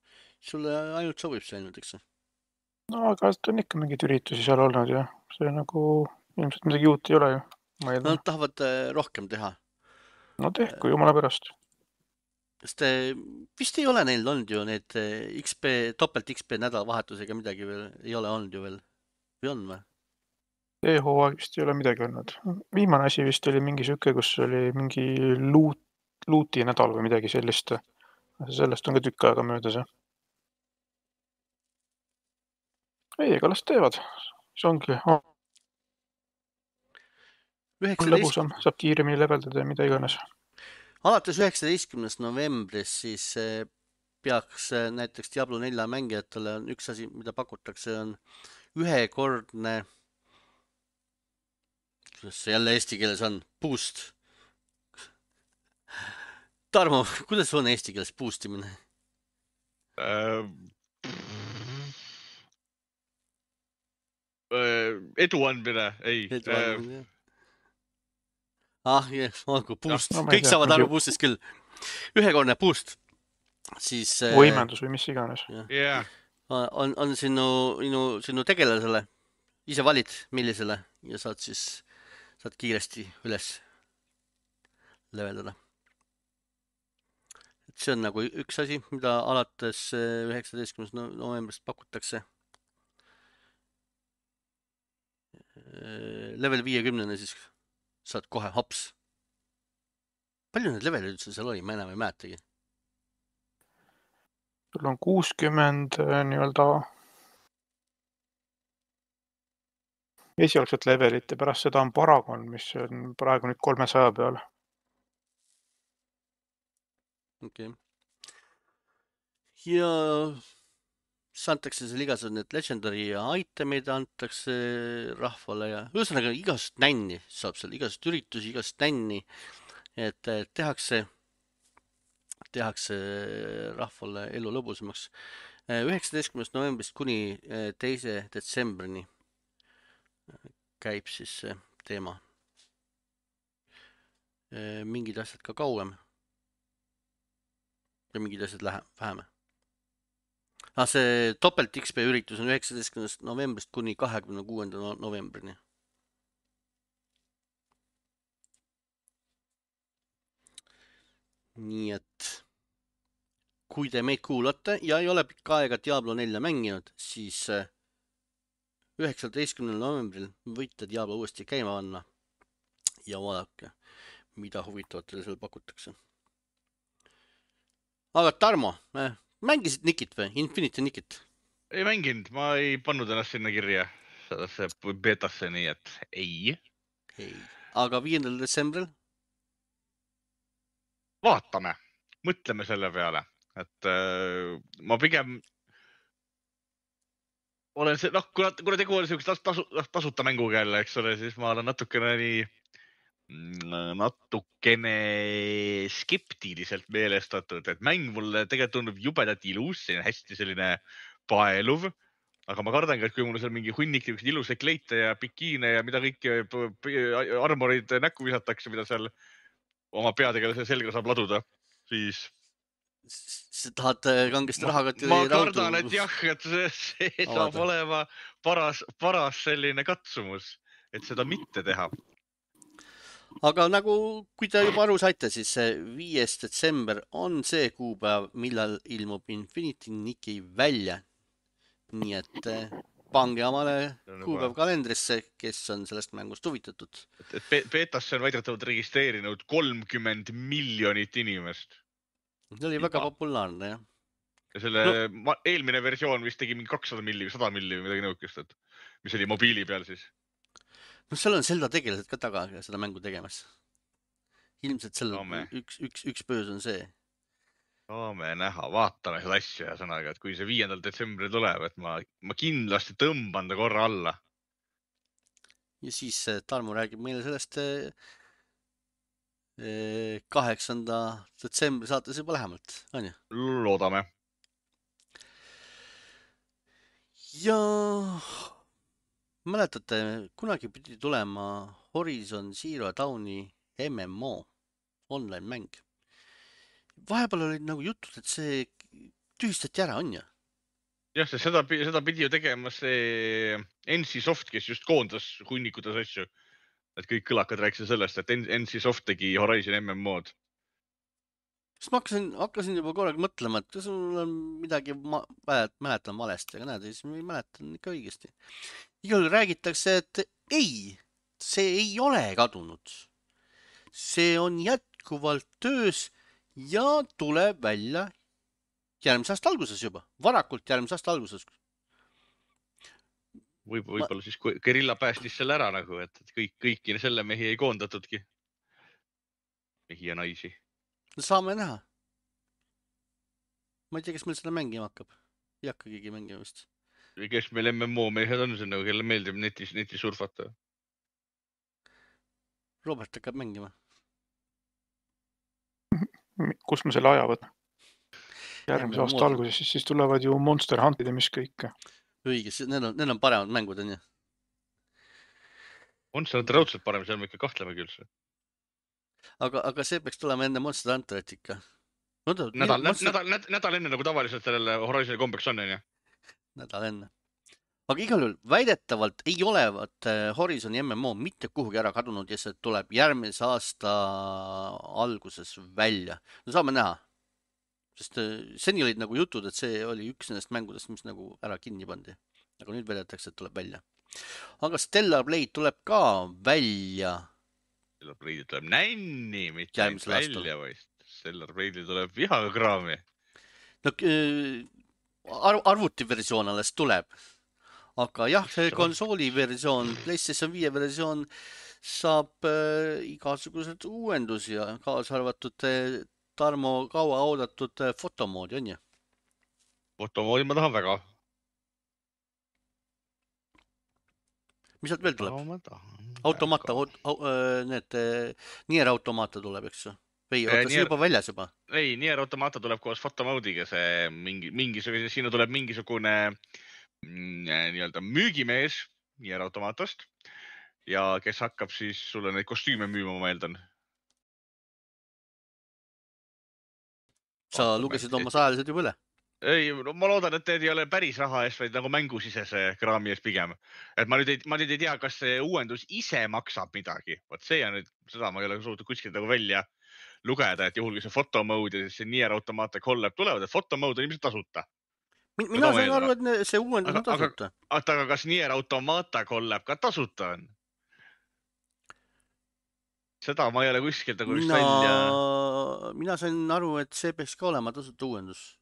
Sulle ainult sobib see ainult, eks? No, aga on ikka mingid üritusi seal olnud ja see nagu ilmselt midagi uut ei ole ju. Nad tahavad rohkem teha. No tehku, jumala pärast. Sest vist ei ole neil olnud ju need X P, topelt X P nädalavahetusega midagi veel, ei ole olnud ju veel. Või on või? E-hooaeg vist ei ole midagi olnud. Viimane asi vist oli mingi süke, kus oli mingi luut, luuti nädal või midagi sellist. Sellest on ka tükk aega möödas. Ei, ega las teevad. See ongi. Oh. Lõbusam, saab kiiremini leveldada ja mida iganes. Alates üheksateistkümnendast novembrist siis peaks näiteks Diablo nelja mängijatele on üks asi, mida pakutakse, on ühekordne, kuidas see jälle eesti keeles on, boost. Tarmo, kuidas on eesti keeles boostimine? Uh, uh, edu andmine, ei. Edu andmine, jah. Ah, yes, olgu, boost, no, kõik saavad aru boostist küll. Ühekordne boost, siis... Võimendus või mis iganes. Yeah. On, on sinu, sinu, sinu tegelasele, ise valid millisele ja saad siis, saad kiiresti üles leveldada. Et see on nagu üks asi, mida alates üheksateistkümnendast novembrist pakutakse. level viiekümnene, siis saad kohe hops. Palju need levelid üldse seal oli, ma enam ei mäletagi. sul on kuuskümmend nii-öelda esialgset levelit ja pärast seda on Paragon, mis on praegu nüüd kolmesaja peal. Okei. Ja siis antakse seal igasugused need legendary itemid antakse rahvale ja ühesõnaga igast nänni saab seal, igast üritusi, igast nänni, et tehakse, tehakse rahvale elu lõbusamaks. üheksateistkümnendast novembrist kuni teise detsembrini käib siis see teema. Mingid asjad ka kauem ja mingid asjad vähem. Ah, see topelt X P üritus on üheksateistkümnendast novembrist kuni kahekümne kuuenda novembrini. Nii et kui te meid kuulate ja ei ole pikka aega Diablo nelja mänginud, siis üheksateistkümnendal novembril võite Diablo uuesti käima panna ja vaadake, mida huvitavat teile seal pakutakse. Aga Tarmo, mängisid Nikit või? Infinity Nikit? Ei mänginud, ma ei pannud ennast sinna kirja sellesse betasse, nii et ei. ei. Aga viiendal detsembril? Vaatame, mõtleme selle peale, et äh, ma pigem olen see, noh, kuna, kuna tegu oli selleks tasu, tasuta mänguga jälle, eks ole, siis ma olen natukene nii, natukene skeptiliselt meelestatud, et mäng mulle tegelikult tundub jubedat ilus, see on hästi selline paeluv, aga ma kardangi, et kui mul seal mingi hunnik ilusaid kleite ja bikiine ja mida kõiki armorid näkku visatakse, mida seal oma peadega selga saab laduda, siis sa tahad kangesti rahakotti ma kardan, et jah, et see, see saab Avada. olema paras, paras selline katsumus, et seda mitte teha. Aga nagu, kui te juba aru saite, siis viies detsember on see kuupäev, millal ilmub Infinity Niki välja. Nii et pange omale kuupäev kalendrisse, kes on sellest mängust huvitatud. Et, et betasse on väidetavalt registreerinud kolmkümmend miljonit inimest. See oli väga populaarne, jah. Ja selle no. eelmine versioon vist tegi mingi kakssada milli või sada milli või midagi nõukest, et mis oli mobiili peal siis. No seal on Zelda tegelased ka taga seda mängu tegemas. Ilmselt selle Saame. üks, üks, üks pöös on see. Saame näha, vaatame seda asja ja sõnaga, et kui see viiendal detsembril tuleb, et ma, ma kindlasti tõmban ta korra alla. Ja siis Tarmo räägib meile sellest kaheksanda detsembri saates juba lähemalt, on ju? Loodame. Ja mäletate, kunagi pidi tulema Horizon Zero Dawni M M O online mäng. Vahepeal olid nagu jutud, et see tühistati ära, on ju? Jah, see seda, seda pidi ju tegema see N C Soft, kes just koondas hunnikutes asju. Et kõik kõlakad rääkisid sellest, et N C Soft tegi Horizon M M O-d. Siis ma hakkasin, hakkasin juba korraga mõtlema, et kas mul on midagi ma, mäletan valesti, aga näed, siis ma ei mäletan ikka õigesti. Igal räägitakse, et ei, see ei ole kadunud. See on jätkuvalt töös ja tuleb välja järgmise aasta alguses juba, varakult järgmise aasta alguses. Võib, võib-olla siis Guerilla päästis selle ära nagu, et kõik, kõiki selle mehi ei koondatudki. Mehi ja naisi. No saame näha. Ma ei tea, kes meil seda mängima hakkab. Ei hakka keegi mängima vist. Kes meil M M O mehed on, see nagu, kelle meeldib netis, netis surfata. Robert hakkab mängima. Kus ma selle aja võtan? Järgmise aasta alguses, siis, siis tulevad ju Monster Huntid ja mis kõik. Õige, need on, need on paremad mängud, on ju? Monster Hunter raudselt parem, seal me ikka kahtleme küll. Aga, aga see peaks tulema enne Monster Hunterit ikka. No, ta, nädal, monster... nädal, nädal, nädal enne nagu tavaliselt sellele Horizoni kombeks on, on ju? Nädal enne. Aga igal juhul väidetavalt ei olevat Horizoni M M O mitte kuhugi ära kadunud ja see tuleb järgmise aasta alguses välja. No saame näha. Sest seni olid nagu jutud, et see oli üks nendest mängudest, mis nagu ära kinni pandi. Aga nüüd väidetakse, et tuleb välja. aga Stellar Blade tuleb ka välja Stellar Blade tuleb nänni, mitte ainult järgmisel aastal. välja, vaid Stellar Blade tuleb vihaga kraami. No arv, arvutiversioon alles tuleb. Aga jah, see konsooli versioon, PlayStation viie versioon saab äh, igasugused uuendusi ja kaasa arvatud äh, Tarmo kaua oodatud äh, fotomoodi, on ju? Fotomoodi ma tahan väga. Mis sealt veel tuleb? No, ma tahan automata, väga. au, äh, need äh, Nier Automata tuleb, eks ju? Või Eh, oota, see Nier- juba väljas juba? Ei, Nier Automata tuleb koos fotomoodiga, see mingi, mingisugune, siin tuleb mingisugune mm, nii-öelda müügimees Nier Automatast ja kes hakkab siis sulle neid kostüüme müüma, ma eeldan. Sa Vaatame, lugesid et- oma sajalised juba üle? Ei, no ma loodan, et need ei ole päris raha eest, vaid nagu mängusisese kraami eest pigem. Et ma nüüd ei, ma nüüd ei tea, kas see uuendus ise maksab midagi. Vot see on nüüd, seda ma ei ole suutnud kuskilt nagu välja lugeda, et juhul kui see fotomode ja see Nier Automata collab tulevad, et fotomode on ilmselt tasuta. Min- Mina Seda ma sain aru, et ne- see uuendus Aga, on aga, tasuta. oota, aga kas Nier Automata collab ka tasuta on? Seda ma ei ole kuskilt nagu just Mina, välja. mina sain aru, et see peaks ka olema tasuta uuendus.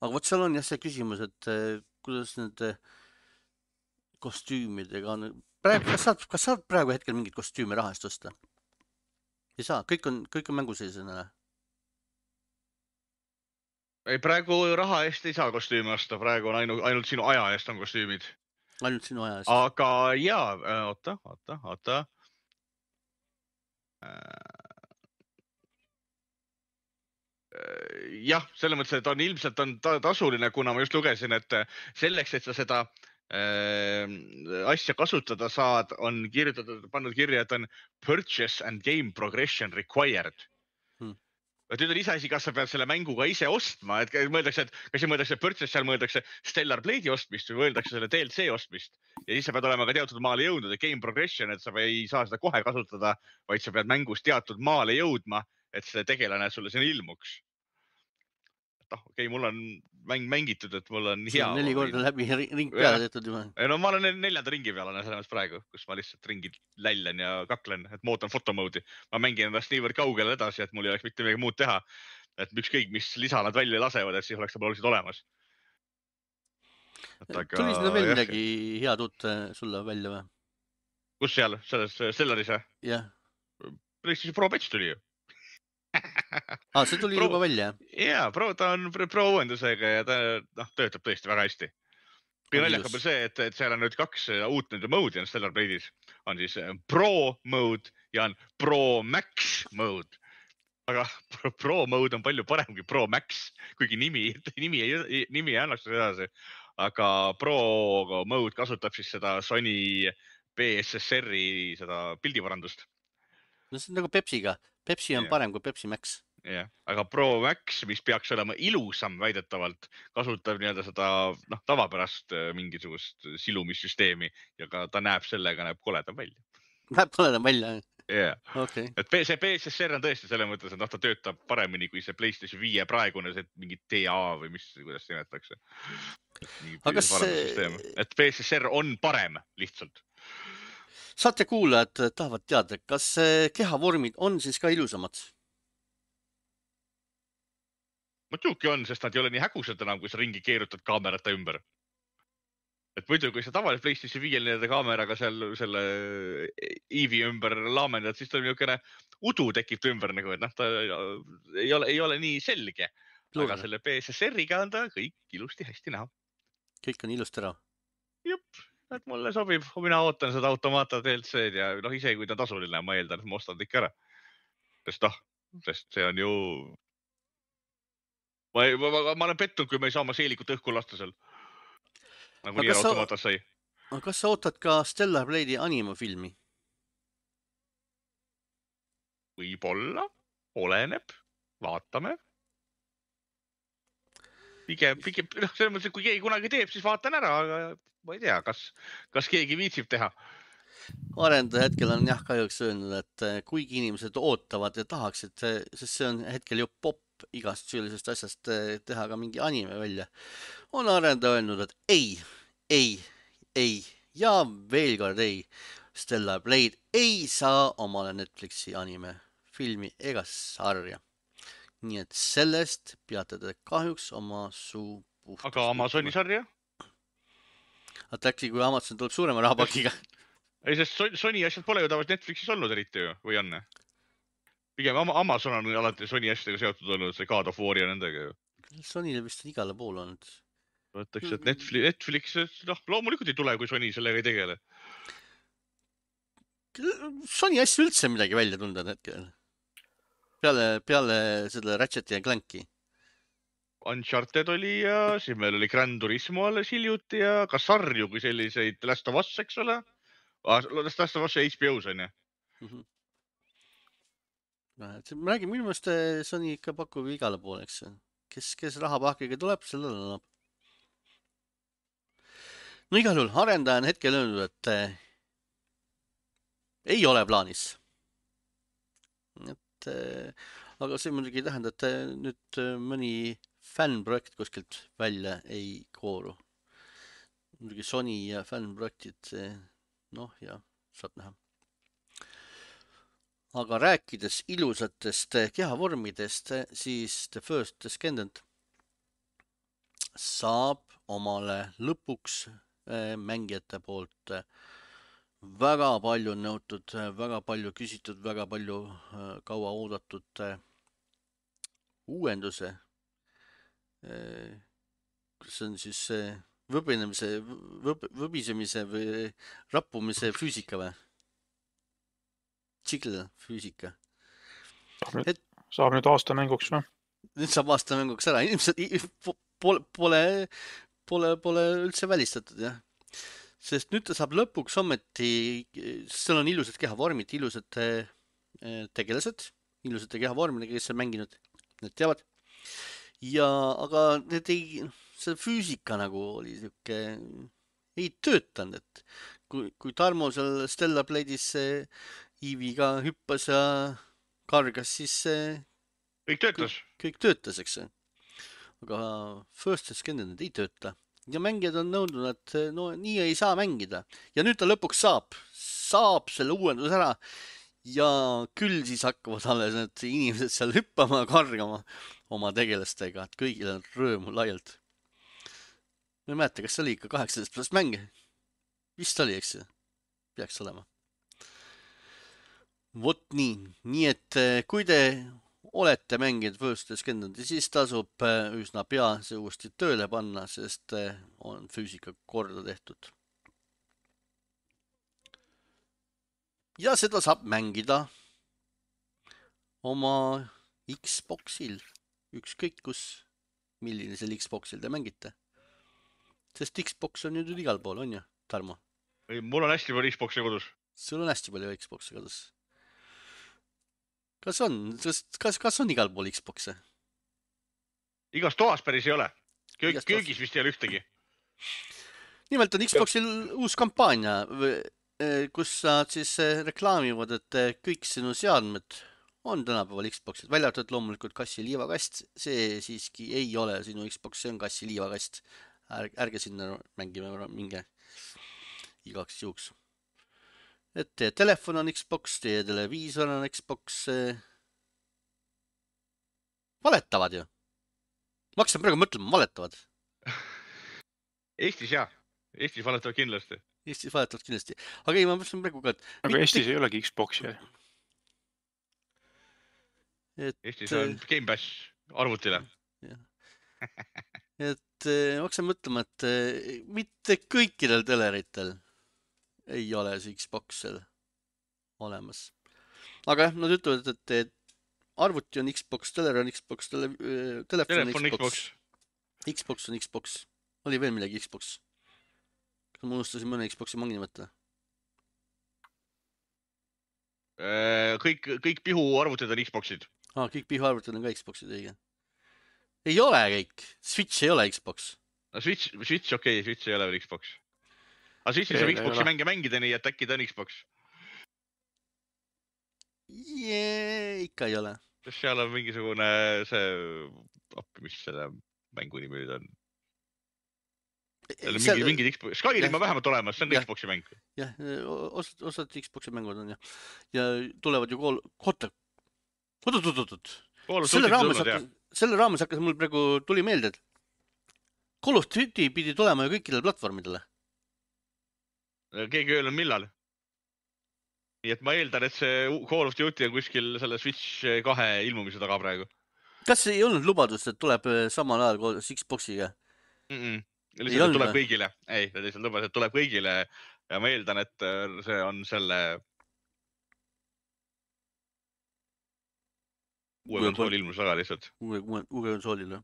Aga vot seal on jah see küsimus, et eh, kuidas nende kostüümidega on. Praegu, kas saad, kas saad praegu hetkel mingit kostüümi raha eest osta? Ei saa, kõik on, kõik on mänguseisena. Ei, praegu raha eest ei saa kostüümi osta, praegu on ainult, ainult sinu aja eest on kostüümid. Ainult sinu aja eest. Aga jaa, oota, oota, oota. Jah, selles mõttes, et on ilmselt on ta tasuline, kuna ma just lugesin, et selleks, et sa seda äh, asja kasutada saad, on kirjutatud, pannud kirja, et on purchase and game progression required. Hmm. Et nüüd on iseasi, kas sa pead selle mänguga ise ostma, et mõeldakse, et kas mõeldakse purchase, seal mõeldakse Stellar Blade'i ostmist või mõeldakse selle D L C ostmist. Ja siis sa pead olema ka teatud maale jõudnud, et game progression, et sa ei saa seda kohe kasutada, vaid sa pead mängus teatud maale jõudma, et see tegelane sulle sinna ilmuks. noh, okei okay,, mul on mäng mängitud, et mul on see hea. On neli korda läbi ring peale tehtud juba. No ma olen neljanda ringi peal selles mõttes praegu, kus ma lihtsalt ringi lällen ja kaklen, et ma ootan fotomoodi. Ma mängin ennast niivõrd kaugele edasi, et mul ei oleks mitte midagi muud teha. Et ükskõik, mis lisa nad välja lasevad, et siis oleks nad oleksid olemas. Aga... Tuli sinna veel midagi head uut sulle välja või? Kus seal? Selles Stellaris või? Jah. PlayStation Pro Patch tuli ju. Ah, see tuli pro, juba välja, jah? Jaa, pro, ta on pro uuendusega ja ta no, töötab tõesti väga hästi. Kõige naljakam on see, et, et seal on nüüd kaks uut nende mode'i on Stellar Blade'is. On siis Pro mode ja on Pro Max mode. Aga Pro, pro mode on palju parem kui Pro Max, kuigi nimi, nimi, ei, nimi ei annaks seda edasi. Aga Pro mode kasutab siis seda Sony P S S R-i seda pildiparandust. No see on nagu Pepsiga. Pepsi on yeah. parem kui Pepsi Max. jah, aga Pro Max, mis peaks olema ilusam väidetavalt, kasutab nii-öelda seda noh, tavapärast mingisugust silumissüsteemi ja ka ta näeb sellega, näeb koledam välja. Näeb koledam välja? jah, okay. Et see P S S R on tõesti selles mõttes, et noh, ta töötab paremini kui see PlayStation viie praegune, see mingi T A või mis, kuidas nimetatakse. Aga see... Et P S S R on parem lihtsalt. Saate kuulajad tahavad teada, kas kehavormid on siis ka ilusamad? Muidugi on, sest nad ei ole nii hägusad enam, kui sa ringi keerutad kaamerata ümber. Et muidu, kui sa tavaliselt PlayStation viie nii-öelda kaameraga seal selle Eevi ümber laamendad, siis ta on niisugune udu tekib ümber, nagu, et noh, ta ei ole, ei ole nii selge. Pluur. Aga selle P S S R-iga on ta kõik ilusti hästi näha. Kõik on ilusti ära. Jupp, et mulle sobib. Mina ootan seda Automata D L C-d ja noh, ise kui ta tasuline, ma eeldan, et ma ostan ikka ära. Sest noh, sest see on ju... Ma, ma, ma, ma olen pettunud, kui me ei saa oma seelikut õhku lasta seal. Nagu nii Automata sai. Kas sa ootad ka Stellar Blade'i animafilmi? Võib-olla, oleneb, vaatame. Pigem, pigem, noh, selles mõttes, et kui keegi kunagi teeb, siis vaatan ära, aga ma ei tea, kas, kas keegi viitsib teha. Arendaja hetkel on jah kahjuks öelnud, et kuigi inimesed ootavad ja tahaksid, sest see on hetkel ju pop igast sellisest asjast teha ka mingi anime välja, on arendaja öelnud, et ei, ei, ei ja veel kord ei. Stellar Blade ei saa omale Netflixi anime filmi ega sarja. Nii et sellest peate te kahjuks oma suu puhtaks. Aga Amazoni sarja? Aga äkki kui Amazon tuleb suurema rahapakiga? Ei, sest Sony asjad pole ju tavaliselt Netflixis olnud eriti ju, või on? Pigem Amazon on alati Sony asjadega seotud olnud, see God of War ja nendega ju. Sonyle vist on igale pool olnud. Võtaks, et Netflix, Netflix, noh, loomulikult ei tule, kui Sony sellega ei tegele. Sony asja üldse midagi välja tunda hetkel. Peale, peale seda Ratchet ja Clanki. Uncharted oli ja siis meil oli Gran Turismo alles hiljuti ja ka sarju kui selliseid Last of Us, eks ole? Last of Us ja H B O's on ju. Mm-hmm. Ma räägin, minu meelest Sony ikka pakub igale poole, eks. Kes, kes rahapakiga tuleb, sellele annab. No igal juhul arendaja on hetkel öelnud, et äh, ei ole plaanis. Et, äh, aga see muidugi ei tähenda, et äh, nüüd äh, mõni fännprojekt kuskilt välja ei kooru. Muidugi Sony ja fännprojektid, noh ja saab näha. Aga rääkides ilusatest kehavormidest, siis The First Descendant saab omale lõpuks mängijate poolt väga palju nõutud, väga palju küsitud, väga palju kaua oodatud uuenduse. See on siis võbinemise, võb, võbisemise või rappumise füüsika või? Jiggle füüsika. Saab nüüd, et, saab nüüd aasta mänguks või? Nüüd saab aasta mänguks ära. Inimesed pole, pole, pole, pole üldse välistatud, jah. Sest nüüd ta saab lõpuks ometi, seal on ilusad kehavormid, ilusad tegelased, ilusate kehavormidega, kes on mänginud, need teavad. Ja, aga need ei, see füüsika nagu oli siuke, ei töötanud, et kui, kui Tarmo seal Stellar Blade'is Iiviga hüppas ja kargas, siis kõik töötas. Kõik, kõik töötas, eks. Aga First Descendant ei tööta. Ja mängijad on nõudnud, et no nii ei saa mängida. Ja nüüd ta lõpuks saab. Saab selle uuendus ära. Ja küll siis hakkavad alles need inimesed seal hüppama ja kargama oma tegelastega. Et kõigil on rõõmu laialt. Ma ei mäleta, kas see oli ikka kaheksateist pluss mäng? Vist oli, eks? Peaks olema. Vot nii, nii et kui te olete mänginud First Descendanti, siis tasub üsna pea see uuesti tööle panna, sest on füüsika korda tehtud. Ja seda saab mängida oma Xboxil, ükskõik kus, milline seal Xboxil te mängite. Sest Xbox on ju nüüd igal pool, on ju, Tarmo? Mul on hästi palju Xboxi kodus. Sul on hästi palju Xboxi kodus. Kas on, kas, kas on igal pool Xboxe? Igas toas päris ei ole. Köög, köögis vist ei ole ühtegi. Nimelt on Xboxil uus kampaania, kus saad siis reklaamivad, et kõik sinu seadmed on tänapäeval Xboxid. Välja arvatud loomulikult kassi liivakast. See siiski ei ole sinu Xbox, see on kassi liivakast. Ärge, ärge sinna mängime minge igaks juhuks. Et teie telefon on Xbox, teie televiisor on Xbox. Valetavad ju. Ma hakkasin praegu mõtlema, valetavad. Eestis jah. Eestis valetavad kindlasti. Eestis valetavad kindlasti. Aga ei, ma mõtlesin praegu ka, et... Aga mitte... Eestis ei olegi Xboxi. Et... Eestis on Game Pass arvutile. Et ma hakkasin mõtlema, et mitte kõikidel teleritel ei ole see Xboxil olemas. Aga jah, nad ütlevad, et arvuti on Xbox, teler on Xbox, tele, telefon on Xbox. Xbox. Xbox on Xbox. Oli veel midagi Xbox. Kas ma unustasin mõne Xboxi mangi nimeta? Kõik, kõik pihu arvutid on Xboxid. Ah, kõik pihu arvutid on ka Xboxid, õige. Ei ole kõik. Switch ei ole Xbox. No Switch, Switch okei, okay, Switch ei ole veel Xbox. Aga siis saab Xboxi mänge mängida nii, et äkki ta on Xbox. Jee, ikka ei ole. Seal on mingisugune see, appi, mis selle mängu nimi nüüd on. mingi, mingid Xbox, Skyrim on vähemalt olemas, see on ka jah. Xboxi mäng. jah, osad, osad Xboxi mängud on jah. Ja tulevad ju kool, koota, oot, oot, oot, oot. Selle raames, hakkas, selle raames hakkas mul praegu tuli meelde, et Call of Duty pidi tulema ju kõikidele platvormidele. Keegi öelnud millal. Nii et ma eeldan, et see Call of Duty on kuskil selle Switch kahe ilmumise taga praegu. Kas ei olnud lubadust, et tuleb samal ajal koos Xboxiga? Mm -mm. Lihtsalt tuleb kõigile. Ei, lihtsalt lubas, et tuleb kõigile ja ma eeldan, et see on selle uue konsooli ilmus väga lihtsalt. Uue, uue, uue konsoolile.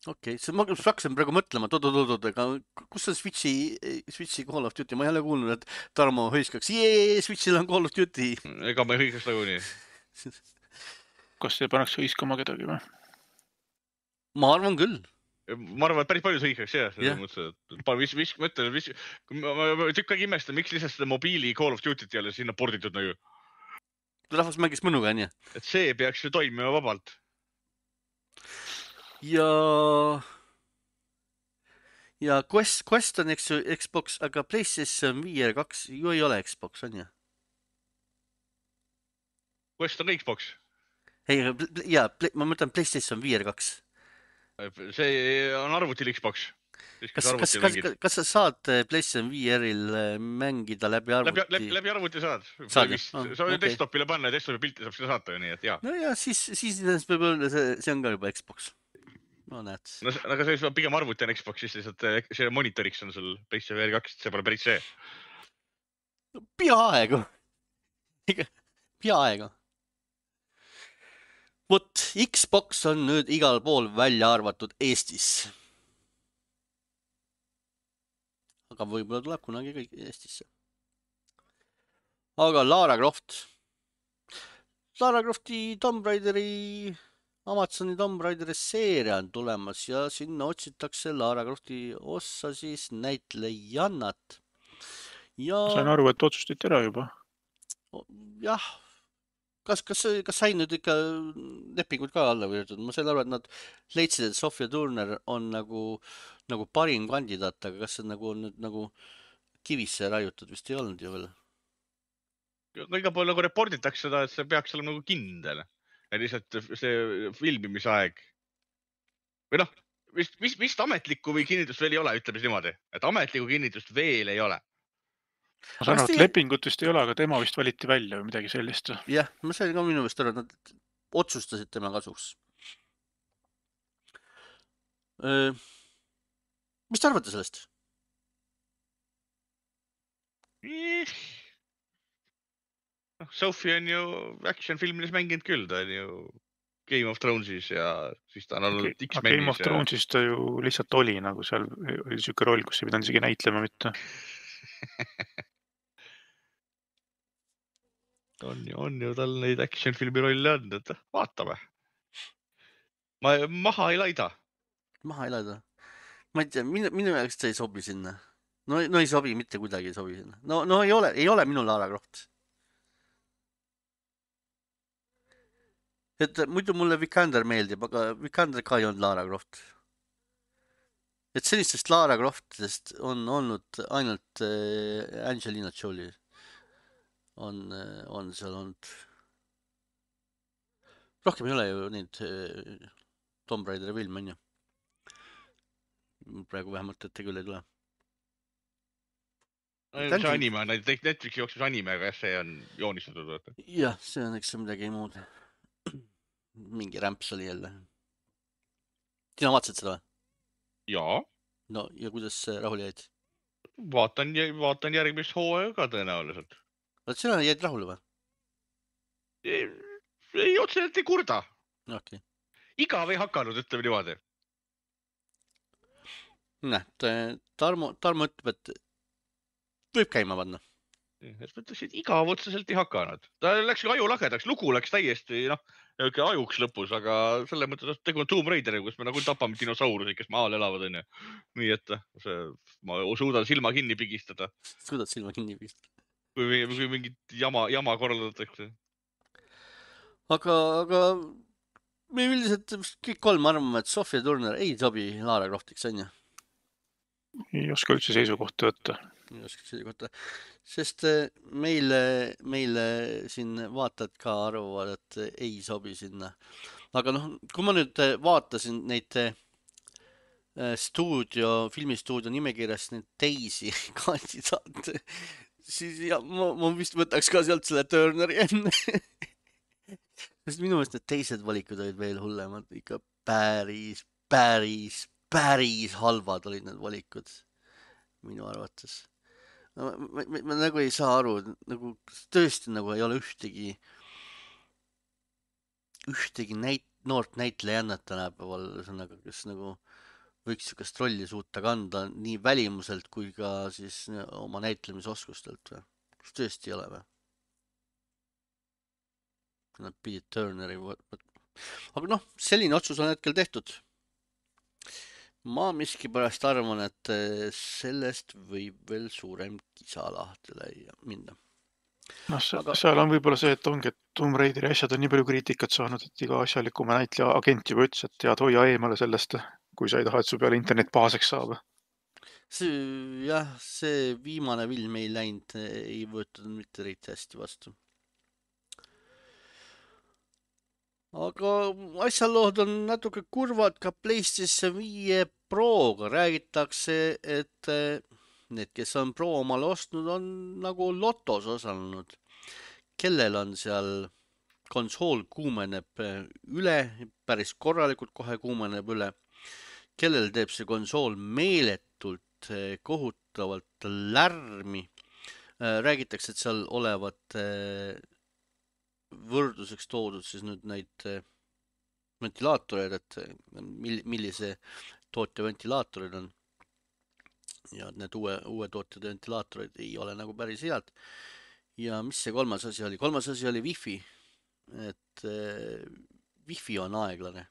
Okei, okay. Ma hakkasin praegu mõtlema, et oot-oot-oot, aga kus on Switchi, Switchi Call of Duty? Ma ei ole kuulnud, et Tarmo hõiskaks, jee, Switchil on Call of Duty. Ega ma ei hõiskaks nagu nii. Kas see pannaks hõiskama kedagi või? Ma arvan küll. Ma arvan, et päris palju hõiskaks, jah. Yeah. Vis, vis, mõtlen, vis, ma tükk aeg imestan, miks lihtsalt seda mobiili Call of Duty't ei ole sinna porditud nagu. Rahvas mängis mõnuga, on jah? Et see peaks ju toimima vabalt. Ja, ja Quest, Quest on eks ju Xbox, aga PlayStation V R kaks ju ei ole Xbox, on jah? Quest on ka Xbox? Ei, ja, ma mõtlen PlayStation V R kaks. See on arvutil Xbox. Kas, kas, kas, kas sa saad PlayStation V R-il mängida läbi arvuti? Läbi, läbi, läbi arvuti saad. Saad, vist, oh, sa okay. Desktopile panna ja desktopi pilti saab seda saata, nii et jaa. No ja siis, siis võib-olla see, see on ka juba Xbox. No näed. No, aga see pigem arvuti on Xbox, siis lihtsalt see monitoriks on sul PlayStation V R kaks, see pole päris see. Peaaegu. Peaaegu. Vot, Xbox on nüüd igal pool välja arvatud Eestis. Aga võib-olla tuleb kunagi kõik Eestisse. Aga Lara Croft. Lara Crofti Tomb Raideri, Amazoni Tomb Raideri seeria on tulemas ja sinna otsitakse Lara Crofti ossa siis näitlejannat. Ja... Sain aru, et otsustati ära juba. Jah. Kas, kas, kas sai nüüd ikka lepingud ka alla võetud? Ma sain aru, et nad leidsid, et Sophia Turner on nagu, nagu parim kandidaat, aga kas see nagu on nüüd nagu kivisse raiutud? Vist ei olnud ju veel. Iga pool nagu reporditakse seda, et see peaks olema nagu kindel. Ja lihtsalt see filmimisaeg. Või noh, vist, vist, vist ametlikku või kinnitust veel ei ole, ütleme niimoodi. Et ametlikku kinnitust veel ei ole. Ma saan aru, et lepingutust ei ole, aga tema vist valiti välja või midagi sellist. Jah, ma sain ka minu vist aru, et nad otsustasid tema kasuks. Mis te arvate sellest? Sophie on ju action filmides mänginud küll, ta on ju Game of Thronesis ja siis ta on olnud X-Menis. Game of Thronesis ta ju lihtsalt oli nagu seal, oli siuke roll, kus ei pidanud isegi näitlema mitte. on ju, on ju tal neid action filmi rolle on, et vaatame. Ma maha ei laida. Maha ei laida. Ma ei tea, minu, minu jaoks ta ei sobi sinna. No, no ei sobi, mitte kuidagi ei sobi sinna. No, no ei ole, ei ole minu Lara Croft. Et muidu mulle Vikander meeldib, aga Vikander ka ei olnud Lara Croft. Et sellistest Lara Croftidest on olnud ainult Angelina Jolie. On, on seal olnud. Rohkem ei ole ju neid Tomb Raideri film, on ju. Praegu vähemalt ette küll ei tule. See anime, Netflixi jooksus anime, aga see on joonistatud. Jah, see on eks midagi muud. Mingi rämps oli jälle. Sina vaatasid seda või? Jaa. No ja kuidas rahul jäid? Vaatan, vaatan järgmist hooaega ka tõenäoliselt. Sina jäid rahule või? Ei, ei otseselt ei kurda. Okay. Igav ei hakanud, ütleme niimoodi. Näed, Tarmo, Tarmo ütleb, et võib käima panna. Et mõtleks, et igav otseselt ei hakanud. Ta läks aju lagedaks, lugu läks täiesti noh, ajuks lõpus, aga selle mõttes tegu on Tomb Raideri, kus me nagu tapame dinosaurusi, kes maal elavad. On ju. Nii et see, ma suudan silma kinni pigistada. Suudad silma kinni pigistada. Kui, kui mingit jama, jama korraldatakse. Aga, aga me üldiselt kõik kolm arvame, et Sophia Turner ei sobi Lara Croftiks, on ju? ei oska üldse seisukohta võtta. Ei oska seisukohta. Sest meile, meile siin vaatad ka arvavad, et ei sobi sinna. Aga noh, kui ma nüüd vaatasin neid stuudio, filmistuudio nimekirjast neid teisi kandidaate, siis ja, ma, ma vist võtaks ka sealt selle Turneri enne. Sest minu meelest need teised valikud olid veel hullemad. Ikka päris, päris, päris halvad olid need valikud minu arvates. Ma, ma, ma, ma nagu ei saa aru, nagu tõesti nagu ei ole ühtegi ühtegi näit, noort näitlejannat tänapäeval, ühesõnaga, kes nagu võiks sükast rolli suuta kanda nii välimuselt kui ka siis oma näitlemisoskustelt või? Kas tõesti ei ole või? Nad pidid Turneri võtma. Aga noh, selline otsus on hetkel tehtud. Ma miskipärast arvan, et sellest võib veel suurem kisa lahtele minna. No, Aga... seal on võib-olla see, et ongi, et Tomb Raideri asjad on nii palju kriitikat saanud, et iga asjalikuma näitleja agent juba ütles, et tead, hoia eemale sellest, kui sa ei taha, et su peale internet pahaseks saab. See, jah, see viimane film ei läinud, ei võetud mitte reiti hästi vastu. Aga asjalood on natuke kurvad ka PlayStation viie Proga. Räägitakse, et need, kes on Pro omale ostnud, on nagu lotos osalenud. Kellel on seal konsool kuumeneb üle, päris korralikult kohe kuumeneb üle. Kellel teeb see konsool meeletult kohutavalt lärmi. Räägitakse, et seal olevat võrdluseks toodud siis nüüd neid ventilaatoreid, et millise tootja ventilaatorid on. Ja need uue, uue tootjad ventilaatorid ei ole nagu päris head. Ja mis see kolmas asi oli? Kolmas asi oli Wi-Fi. Et äh, Wi-Fi on aeglane.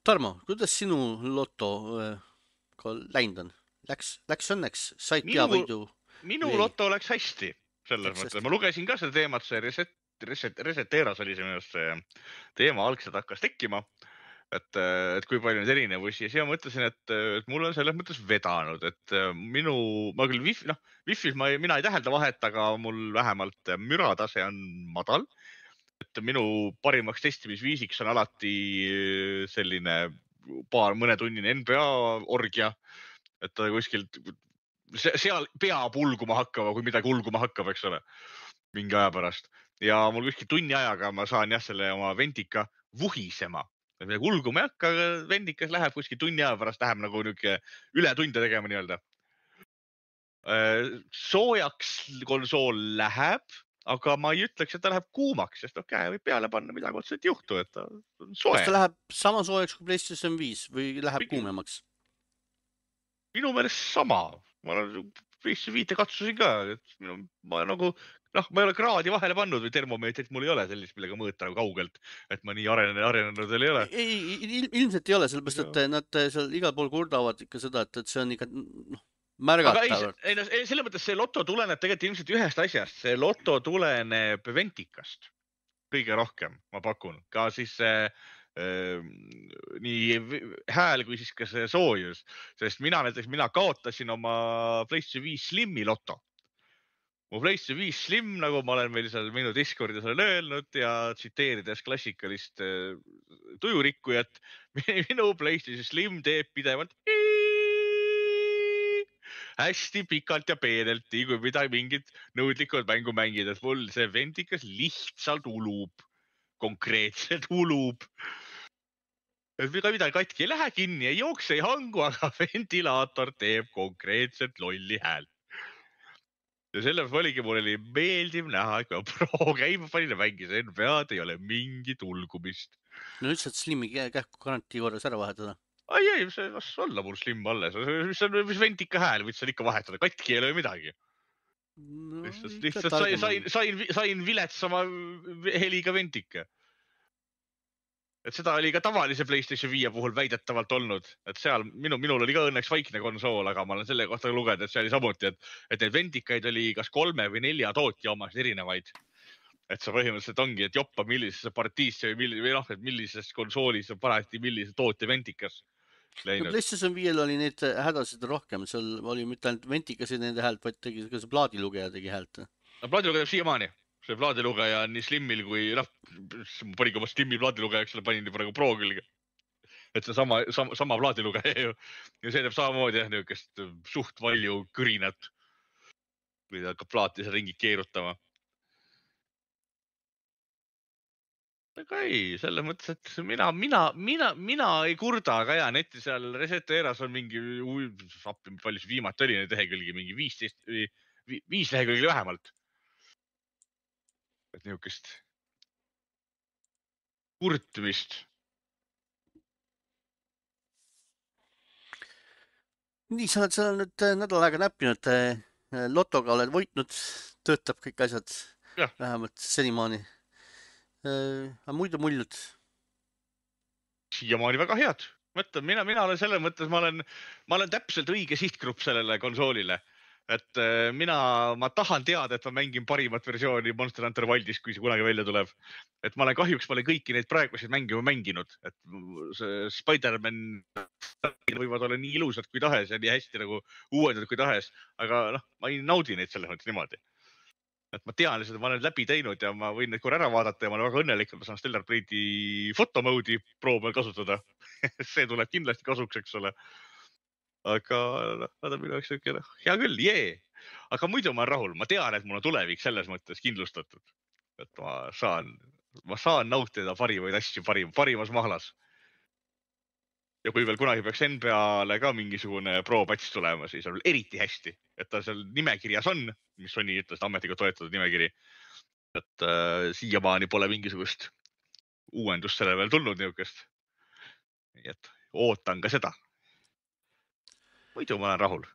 Tarmo, kuidas sinu loto äh, läinud on? Läks, läks õnneks? Said peavõidu? Minu või... loto läks hästi. Selles mõttes. Ma lugesin ka seda teemat, see reset Reset, Reseteras oli see minust see teema algselt hakkas tekkima, et, et kui palju neid erinevusi ja siis ma mõtlesin, et, et mul on selles mõttes vedanud, et minu, ma küll Wi-Fi, noh, Wi-Fi ma, mina ei tähelda vahet, aga mul vähemalt müratase on madal, et minu parimaks testimisviisiks on alati selline paar mõnetunnine N B A orgia, et ta kuskilt seal peab ulguma hakkama, kui midagi ulguma hakkab, eks ole, mingi aja pärast. Ja mul kuskil tunni ajaga ma saan jah selle oma ventika vuhisema. Midagi ulguma ei hakka, aga vendikas läheb kuskil tunni aja pärast, läheb nagu niuke üle tunde tegema nii-öelda. Soojaks konsool läheb, aga ma ei ütleks, et ta läheb kuumaks, sest noh, käe võib peale panna, midagi otseselt ei juhtu, et ta on soe. Kas ta läheb sama soojaks kui PlayStation viis või läheb Minu... kuumemaks? Minu meelest sama. Ma olen PlayStation viite katsusin ka, et minu, ma nagu... Noh, ma ei ole kraadi vahele pannud või termomeetrit, mul ei ole sellist, millega mõõta nagu kaugelt, et ma nii arenenud, arenenud veel ei ole. Ei, il, ilmselt ei ole, sellepärast, et nad seal igal pool kurdavad ikka seda, et, et see on ikka noh, märgatav. Ei, no, selle mõttes see loto tuleneb tegelikult ilmselt ühest asjast. See loto tuleneb ventikast kõige rohkem, ma pakun. Ka siis see äh, nii hääl kui siis ka see soojus. Sest mina näiteks, mina kaotasin oma PlayStation viis Slimi loto. Mu PlayStation viis Slim, nagu ma olen meil seal minu Discordis olen öelnud ja tsiteerides klassikalist äh, tujurikkujat, minu PlayStation Slim teeb pidevalt hästi pikalt ja peenelt, nii kui midagi mingit nõudlikud mängu mängid, et mul see ventikas lihtsalt ulub, konkreetselt ulub. Et midagi katki ei lähe kinni, ei jookse, ei hangu, aga ventilaator teeb konkreetselt lolli hääl. Ja selle oligi, mul oli meeldiv näha, et kui Pro käima panin ja mängis N B A-d, ei ole mingit ulgumist. No üldse, et Slimi kähku garantii korras ära vahetada? Ai, ei, see las olla mul Slim alles. Mis on mis ventika hääl, võid seal ikka vahetada. Katki ei ole midagi. No, lihtsalt lihtsalt sain, sain, sain, sain viletsama heliga ventika. Et seda oli ka tavalise PlayStation viie puhul väidetavalt olnud, et seal minu, minul oli ka õnneks vaikne konsool, aga ma olen selle kohta lugenud, et see oli samuti, et, et need ventikaid oli kas kolme või nelja tootja omas erinevaid. Et see põhimõtteliselt ongi, et joppa millisesse partiisse või, millis, või noh, et millises konsoolis on parati millise tootja ventikas. läinud. PlayStation viiel oli neid hädasid rohkem, seal oli mitte ainult ventikasid nende häält, vaid tegi ka see plaadilugeja tegi häält. No plaadilugeja siiamaani. See plaadilugeja on nii Slimmil kui, noh, panin oma Slimmi plaadilugejaks, selle panin praegu Pro külge. Et see sama, sama, sama plaadilugeja ju. Ja see teeb samamoodi jah, niukest suht valju kõrinat. Kui ta hakkab plaati seal ringi keerutama. Aga ei, selles mõttes, et mina, mina, mina, mina ei kurda, aga ja netti seal Reset Eras on mingi, appi, palju see viimati oli neid lehekülgi, mingi viisteist, viis lehekülgi vähemalt. Et niukest kurtmist. Nii, sa oled seal nüüd nädal aega näppinud, lotoga oled võitnud, töötab kõik asjad, ja. Vähemalt senimaani. Aga muidu muljud? Siiamaani väga head. Mõtlen, mina, mina olen selles mõttes, ma olen, ma olen täpselt õige sihtgrupp sellele konsoolile. Et mina, ma tahan teada, et ma mängin parimat versiooni Monster Hunter Wildis, kui see kunagi välja tuleb. Et ma olen kahjuks, ma olen kõiki neid praeguseid mänge mänginud. Et see Spider-Man võivad olla nii ilusad kui tahes ja nii hästi nagu uuendad kui tahes. Aga noh, ma ei naudi neid selles mõttes niimoodi. Et ma tean lihtsalt, et ma olen läbi teinud ja ma võin neid korra ära vaadata ja ma olen väga õnnelik, et ma saan Stellar Blade'i fotomoodi Pro peal kasutada. See tuleb kindlasti kasuks, eks ole. Aga nad on minu jaoks hea küll, jee. Aga muidu ma olen rahul. Ma tean, et mul on tulevik selles mõttes kindlustatud. Et ma saan, ma saan nautida parimaid asju parim, parimas mahlas. Ja kui veel kunagi peaks N B A-le ka mingisugune pro-patch tulema, siis on eriti hästi, et ta seal nimekirjas on, mis Sony ütles ametiga toetatud nimekiri. Et äh, siiamaani pole mingisugust uuendust selle veel tulnud niukest. Nii et ootan ka seda. Muidu ma olen rahul.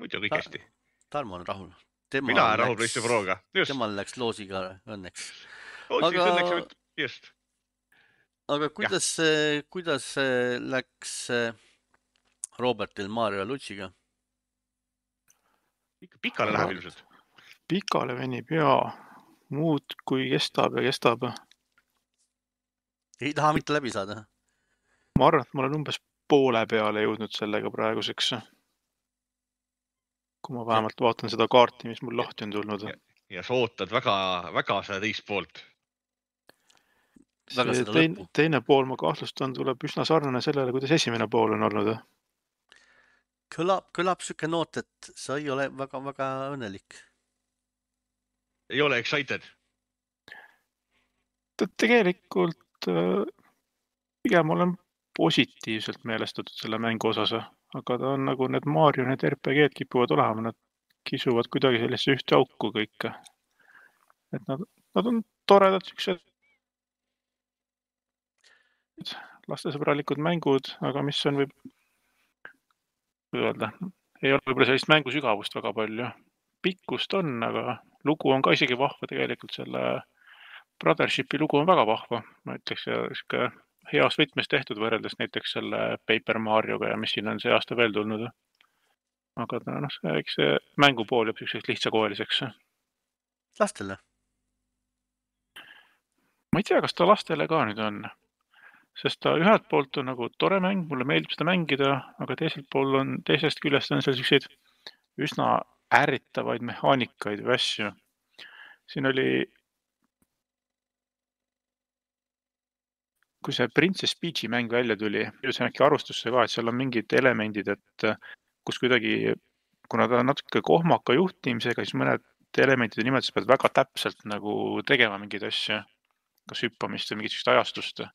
Muidu kõik hästi. Tarmo on rahul. Mina olen rahul PlayStation Proga. Temal läks loosiga õnneks. Loosiga Aga... õnneks, just. Aga kuidas, kuidas läks Robertil Mario Lutsiga? Ikka pikale läheb ilmselt. Pikale venib ja muud kui kestab ja kestab. Ei taha mitte läbi saada? Ma arvan, et ma olen umbes poole peale jõudnud sellega praeguseks. Kui ma vähemalt vaatan seda kaarti, mis mul lahti on tulnud. Ja, ja sa ootad väga, väga seda teist poolt. See teine, teine pool, ma kahtlustan, tuleb üsna sarnane sellele, kuidas esimene pool on olnud. Kõlab, kõlab süke noot, et sa ei ole väga, väga õnnelik. Ei ole excited? Tegelikult pigem olen positiivselt meelestatud selle mängu osas, aga ta on nagu need Mario, need R P G-d kipuvad olema, nad kisuvad kuidagi sellesse ühte auku kõik. Et nad, nad on toredad süksed lastesõbralikud mängud, aga mis on võib öelda, ei ole võib-olla sellist mängu sügavust väga palju. Pikkust on, aga lugu on ka isegi vahva tegelikult, selle Brothershipi lugu on väga vahva. Ma ütleks, ja heas võtmes tehtud võrreldes näiteks selle Paper Marioga ja mis siin on see aasta veel tulnud. Aga ta, no, see, eks see mängupool jääb selliseks lihtsakoeliseks. Lastele? Ma ei tea, kas ta lastele ka nüüd on. Sest ta ühelt poolt on nagu tore mäng, mulle meeldib seda mängida, aga teiselt pool on, teisest küljest on seal selliseid üsna ärritavaid mehaanikaid või asju. Siin oli, kui see Princess Peachi mäng välja tuli, see on äkki arvustusse ka, et seal on mingid elemendid, et kus kuidagi, kuna ta on natuke kohmaka juhtimisega, siis mõned elementide nimetus pead väga täpselt nagu tegema mingeid asju, kas hüppamist või mingit ajastust.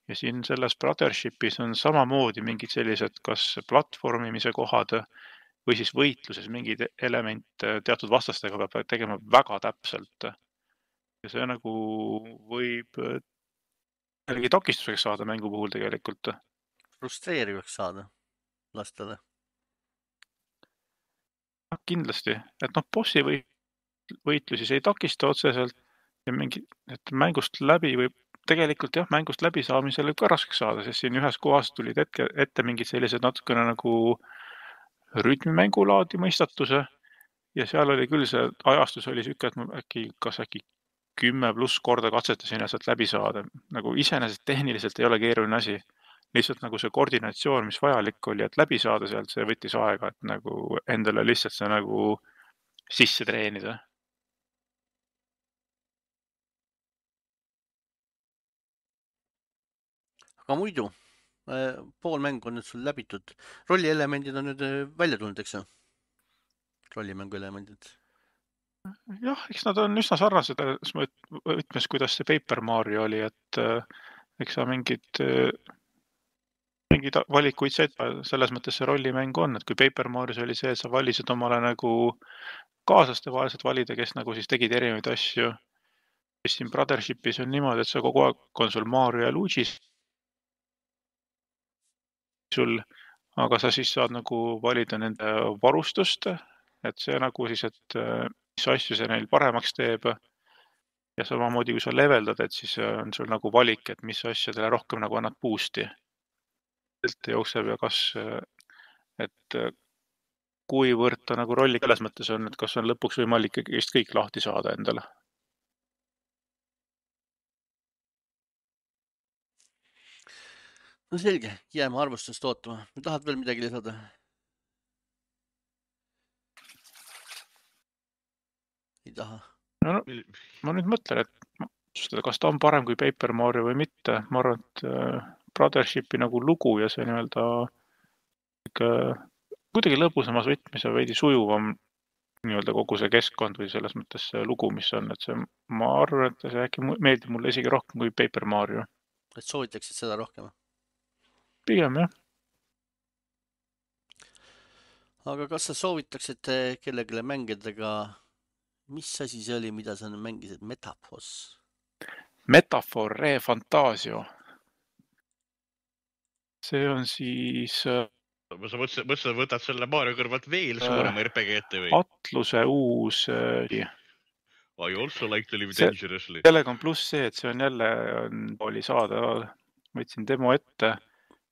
Ja siin selles Brothershipis on samamoodi mingid sellised, kas platvormimise kohad või siis võitluses mingid element teatud vastastega peab tegema väga täpselt. Ja see nagu võib jällegi takistuseks saada mängu puhul tegelikult. Frustreerivaks saada lastele. Kindlasti, et noh, bossi võitlusi see ei takista otseselt ja mingi, et mängust läbi võib tegelikult jah, mängust läbi saamisele ka raskeks saada, sest siin ühes kohas tulid ette, ette mingid sellised natukene nagu rütmimängulaadi mõistatuse ja seal oli küll see ajastus oli süke, et ma äkki, kas äkki kümme pluss korda katsetasin ja sealt läbi saada. Nagu iseenesest tehniliselt ei ole keeruline asi, lihtsalt nagu see koordinatsioon, mis vajalik oli, et läbi saada sealt, see võttis aega, et nagu endale lihtsalt see nagu sisse treenida. aga muidu, pool mängu on nüüd sul läbitud. Rollielemendid on nüüd välja tulnud, eks ju? Rollimängu elemendid. Jah, eks nad on üsna sarnased võtmes, kuidas see Paper Mario oli, et eks sa mingid, mingid valikuid said, selles mõttes see rollimäng on, et kui Paper Marios oli see, et sa valisid omale nagu kaaslaste vahelised valida, kes nagu siis tegid erinevaid asju. Siin Brothershipis on niimoodi, et sa kogu aeg on sul Mario ja Luigi sul, aga sa siis saad nagu valida nende varustust, et see nagu siis, et mis asju see neil paremaks teeb. Ja samamoodi, kui sa leveldad, et siis on sul nagu valik, et mis asjadele rohkem nagu annad boost'i. Jookseb ja kas, et kuivõrd ta nagu rolli selles mõttes on, et kas on lõpuks võimalik just kõik lahti saada endale. No selge, jääme arvustust ootama. Tahad veel midagi lisada? Ei taha. No, no, ma nüüd mõtlen, et kas ta on parem kui Paper Mario või mitte. Ma arvan, et Brothershipi nagu lugu ja see nii-öelda kuidagi lõbusamas võtmis ja veidi sujuvam nii-öelda kogu see keskkond või selles mõttes see lugu, mis on. Et see, ma arvan, et see äkki meeldib mulle isegi rohkem kui Paper Mario. Et soovitaksid seda rohkem? Pigem, jah. Aga kas sa soovitaksid kellegile mängidega, mis asi see oli, mida sa mängisid? Metaphors? Metaphor Re Fantasio. See on siis... Ma sa mõtlesid, võtad selle Mario kõrvalt veel suurema R P G ette või? Atluse uus... I also like to live dangerously. Sellega on pluss see, et see on jälle oli saada, võtsin demo ette,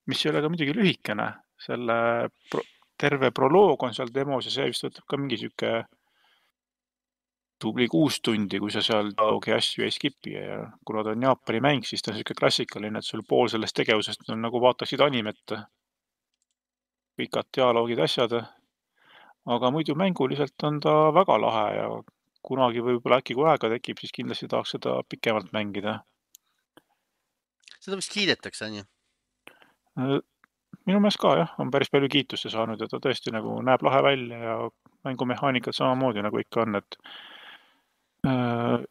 mis ei ole ka muidugi lühikene. Selle pro, terve proloog on seal demos ja see vist võtab ka mingi süke tubli kuus tundi, kui sa seal taogi asju ei skipi. Ja kuna ta on Jaapani mäng, siis ta on süke klassikaline, et sul pool sellest tegevusest on nagu vaataksid animet. Pikad dialoogid asjad. Aga muidu mänguliselt on ta väga lahe ja kunagi võib-olla äkki kui aega tekib, siis kindlasti tahaks seda pikemalt mängida. Seda vist kiidetakse, on ju? Minu meelest ka, jah, on päris palju kiitusse saanud ja ta tõesti nagu näeb lahe välja ja mängumehaanikad samamoodi nagu ikka on, et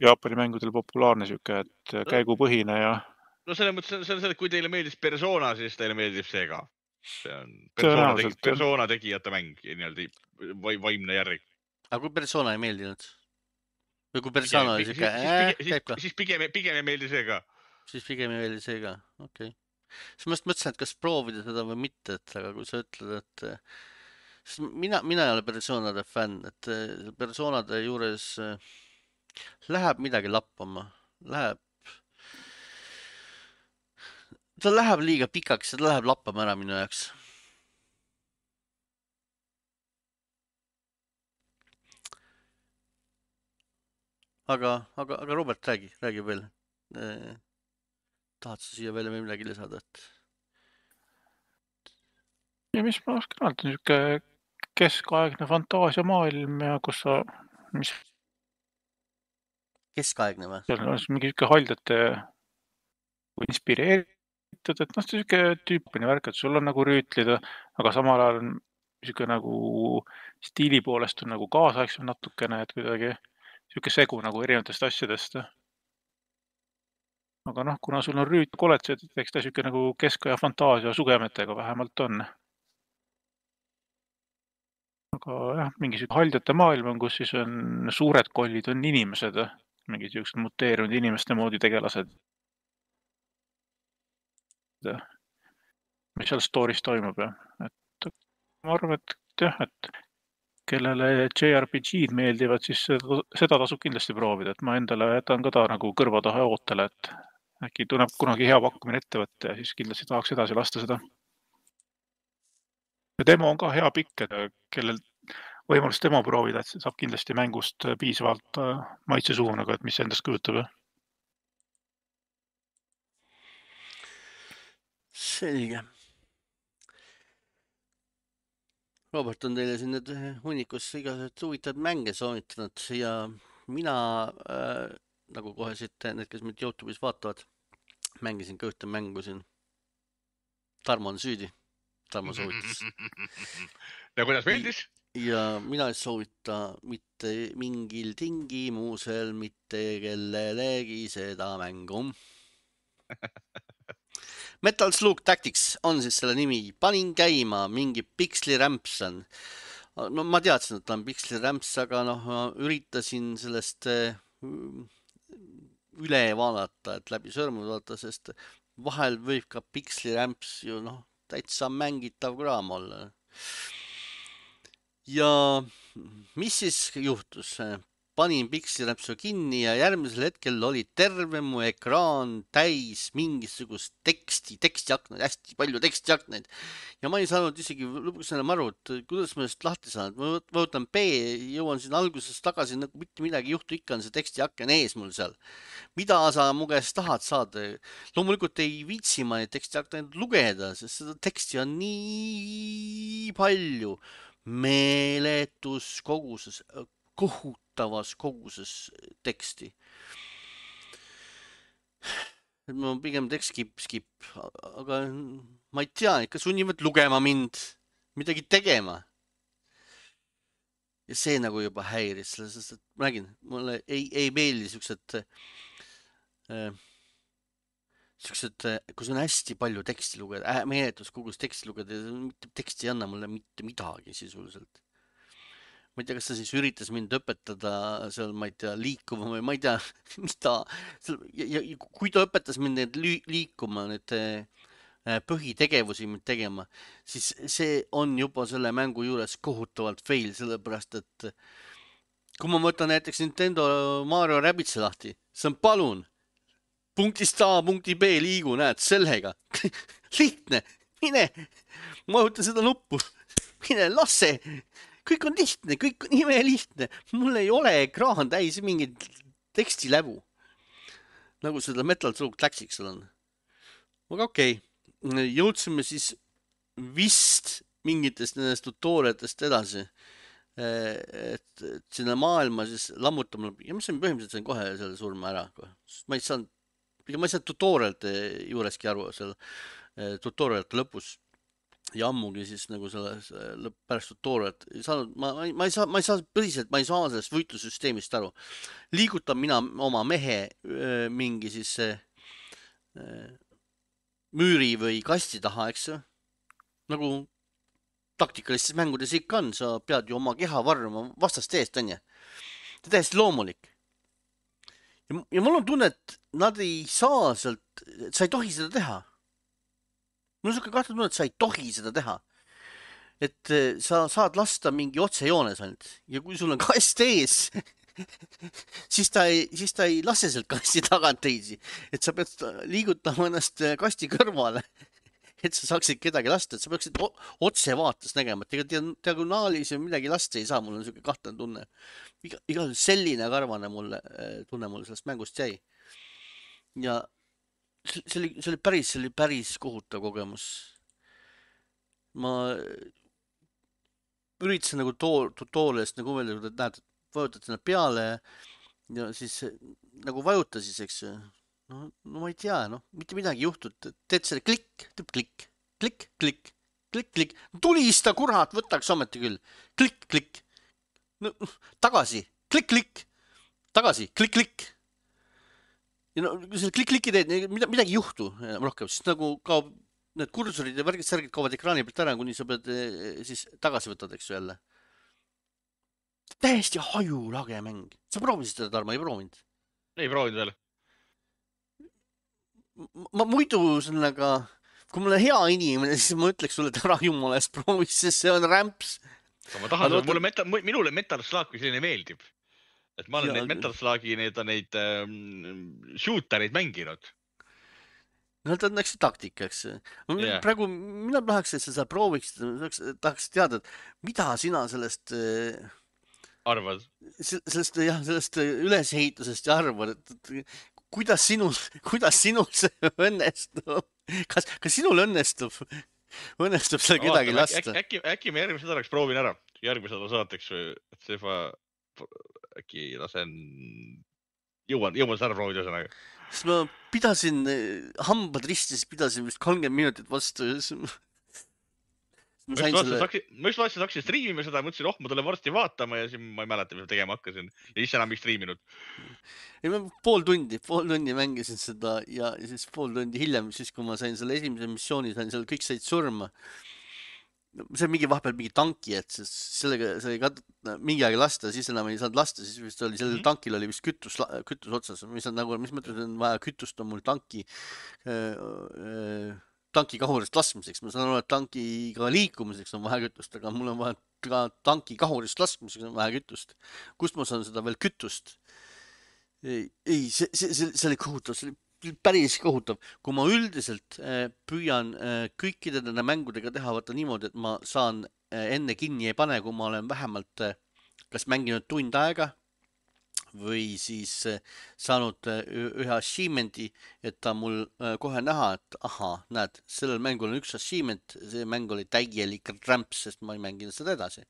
Jaapani mängudel populaarne süke, et käigupõhine ja... No selle mõttes, see on see, et kui teile meeldis Persona, siis teile meeldib see ka. See on Persona, tegi, persona tegijate mäng, nii-öelda vaimne järg. Aga kui Persona ei meeldinud? Või kui Persona oli süke, äh, käib ka? Siis pigem, pigem ei meeldi see ka. Siis pigem ei meeldi see ka, okei. Okay. Siis ma mõtlesin, et kas proovida seda või mitte, et aga kui sa ütled, et mina, mina ei ole Personade fänn, et Personade juures läheb midagi lappama, läheb, ta läheb liiga pikaks ja ta läheb lappama ära minu jaoks. Aga, aga, aga Robert, räägi, räägi veel. Tahad sa siia veel midagi lisada? Et... Ja mis ma oskan öelda, niisugune keskaegne fantaasiamaailm ja kus sa... Mis... Keskaegne või? Seal on mingi niisugune haldjate inspireeritud, et noh, see niisugune tüüpine värk, et sul on nagu rüütlida, aga samal ajal on niisugune nagu stiili poolest on nagu kaasaegsem natukene, et kuidagi niisugune segu nagu erinevatest asjadest. Aga noh, kuna sul on rüüt koletsed, eks ta niisugune nagu keskaja fantaasia sugemetega vähemalt on. Aga jah, mingi haldjate maailm on, kus siis on suured kollid, on inimesed, mingi niisugused muteerunud inimeste moodi tegelased. Mis seal story's toimub, jah. Et ma arvan, et jah, et kellele J R P G'd meeldivad, siis seda tasub kindlasti proovida, et ma endale jätan ka ta nagu kõrvataha ootele, et äkki tunneb kunagi hea pakkumine ettevõtte ja siis kindlasti tahaks edasi lasta seda. Ja demo on ka hea pikk, et kellel võimalus demo proovida, et saab kindlasti mängust piisavalt maitse suunaga, et mis endast kujutab. selge. Robert on teile siin need hunnikus igasugused huvitavad mänge soovitanud ja mina äh, nagu kohe siit need, kes mind YouTube'is vaatavad, mängisin ka ühte mängu siin. Tarmo on süüdi. Tarmo soovitas. Ja kuidas meeldis? Ja mina ei soovita mitte mingil tingimusel mitte kellelegi seda mängu. Metal Slug Tactics on siis selle nimi. Panin käima mingi Pixli Ramps on. No ma teadsin, et ta on Pixli Ramps, aga noh, ma üritasin sellest üle vaadata, et läbi sõrmud vaadata, sest vahel võib ka Pixli Ramps ju noh, täitsa mängitav kraam olla. Ja mis siis juhtus? Panin Pixli Rampsu kinni ja järgmisel hetkel oli terve mu ekraan täis mingisugust teksti, tekstiaknaid, hästi palju tekstiaknaid. Ja ma ei saanud isegi lõpuks enam aru, et kuidas ma just lahti saan. Ma võtan B, jõuan siin alguses tagasi, nagu mitte midagi juhtu, ikka on see tekstiaken ees mul seal. Mida sa mu käest tahad saada? Loomulikult ei viitsi ma neid tekstiaknaid lugeda, sest seda teksti on nii palju meeletus koguses, kohutavas koguses teksti. Ma pigem tekst skip, skip, aga ma ei tea, ikka sunnivad lugema mind, midagi tegema. Ja see nagu juba häiris, sest et ma nägin, mulle ei, ei meeldi siuksed, äh, siuksed, kus on hästi palju teksti lugeda, äh, meeletus kogus teksti lugeda, teksti ei anna mulle mitte midagi sisuliselt. Ma ei tea, kas ta siis üritas mind õpetada seal, ma ei tea, liikuma või ma ei tea, mida. Ja, ja kui ta õpetas mind need liikuma, need põhitegevusi mind tegema, siis see on juba selle mängu juures kohutavalt fail, sellepärast et kui ma võtan näiteks Nintendo Mario Rabbids'i lahti, see on palun, punktist A, punkti B liigu, näed, sellega. Lihtne, mine, vajuta seda nuppu, mine, lase. Kõik on lihtne, kõik on ime lihtne. Mul ei ole ekraan täis mingit tekstiläbu. Nagu seda Metal Slug Tactics on. Aga okei, okay. Jõudsime siis vist mingitest nendest tutoriatest edasi. Et sinna maailma siis lammutama. Ja ma sain põhimõtteliselt sain kohe selle surma ära. Ma ei saanud, ma ei saanud tutorialite juureski aru seal tutorialite lõpus. Ja ammugi siis nagu selles pärast tutorialit ei saanud, ma, ma ei saa, ma ei saa põhiselt, ma ei saa sellest võitlussüsteemist aru. Liigutan mina oma mehe mingi siis müüri või kasti taha, eks ju? Nagu taktikalistes mängudes ikka on, sa pead ju oma keha varruma vastast eest, on ju? See on täiesti loomulik. Ja, ja mul on tunne, et nad ei saa sealt, sa ei tohi seda teha. Mul on suke kahtlus tunne, et sa ei tohi seda teha. Et sa saad lasta mingi otsejoones ainult. Ja kui sul on kast ees, siis ta ei, siis ta ei lase sealt kasti tagant teisi. Et sa pead liigutama ennast kasti kõrvale, et sa saaksid kedagi lasta. Et sa peaksid otse vaates nägema. Et ega diagonaalis või midagi lasta ei saa. Mul on suke kahtlane tunne. Iga, iga selline karvane mulle, tunne mulle sellest mängust jäi. Ja see oli, see oli päris, see oli päris kohutav kogemus. Ma üritasin nagu tutorialist nagu veel, et näed, vajutad sinna peale ja siis nagu vajuta siis, eks. No, no ma ei tea, no, mitte midagi juhtud. Teed selle klikk, teeb klikk, klikk, klikk, klikk, klikk. Tulista, kurat, võtaks ometi küll. Klikk, klikk. No, tagasi, klikk, klikk. Tagasi, klikk, klikk. Ja no, kui selle klikk-klikki teed, midagi ei juhtu rohkem, siis nagu kaob need kursorid ja värgid särgid kaovad ekraani pealt ära, kuni sa pead siis tagasi võtad, eks ju jälle. Täiesti hajulage mäng. Sa proovisid seda, Tarmo, ei proovinud? Ei proovinud veel. Ma muidu sellega, kui mulle hea inimene, siis ma ütleks sulle, et ära jumala eest proovis, sest see on Ramps. Ma tahan, mulle metal, minule Metal Slug kui selline meeldib. Et ma olen ja, neid Metal Slugi, neid on neid ähm, shootereid mänginud. No ta on näiteks taktika, eks. Yeah. Praegu mina tahaks, et sa seda prooviksid, tahaks teada, et mida sina sellest arvad? Sellest, jah, sellest ülesehitusest ja arvad, et kuidas sinul, kuidas sinul see õnnestub? kas, kas sinul õnnestub, õnnestub seal kedagi Vaatame, lasta? äkki, äkki, äkki me järgmise nädalaks proovin ära. Järgmise nädala saateks, et see juba äkki lasen, jõuan, jõuan seda ära proovida ühesõnaga. Sest ma pidasin, hambad ristis, pidasin vist kolmkümmend minutit vastu ja siis ma Ma just vaatasin, selle... haksin, ma just vaatasin, haksin striimima seda, mõtlesin, oh, ma tulen varsti vaatama ja siis ma ei mäleta, mis ma tegema hakkasin. Ja siis enam ei striiminud. Ei, ma pool tundi, pool tundi mängisin seda ja siis pool tundi hiljem, siis kui ma sain selle esimese missiooni, sain seal kõik said surma. See on mingi vahepeal mingi tanki, et sellega sai ka mingi aeg lasta, siis enam ei saanud lasta, siis vist oli, sellel mm-hmm. tankil oli vist kütus, kütus otsas, mis on nagu, mis mõttes on vaja kütust on mul tanki öö, öö, tanki kahurist laskmiseks, ma saan aru, et tankiga liikumiseks on vaja kütust, aga mul on vaja ka tanki kahurist laskmiseks on vaja kütust. Kust ma saan seda veel kütust? Ei, ei see, see, see, see oli kohutav, see oli päris kohutav. Kui ma üldiselt püüan kõikide nende mängudega teha vaata niimoodi, et ma saan enne kinni ei pane, kui ma olen vähemalt kas mänginud tund aega või siis saanud ühe achievement'i, et ta mul kohe näha, et aha, näed, sellel mängul on üks achievement, see mäng oli täielik rämps, sest ma ei mänginud seda edasi.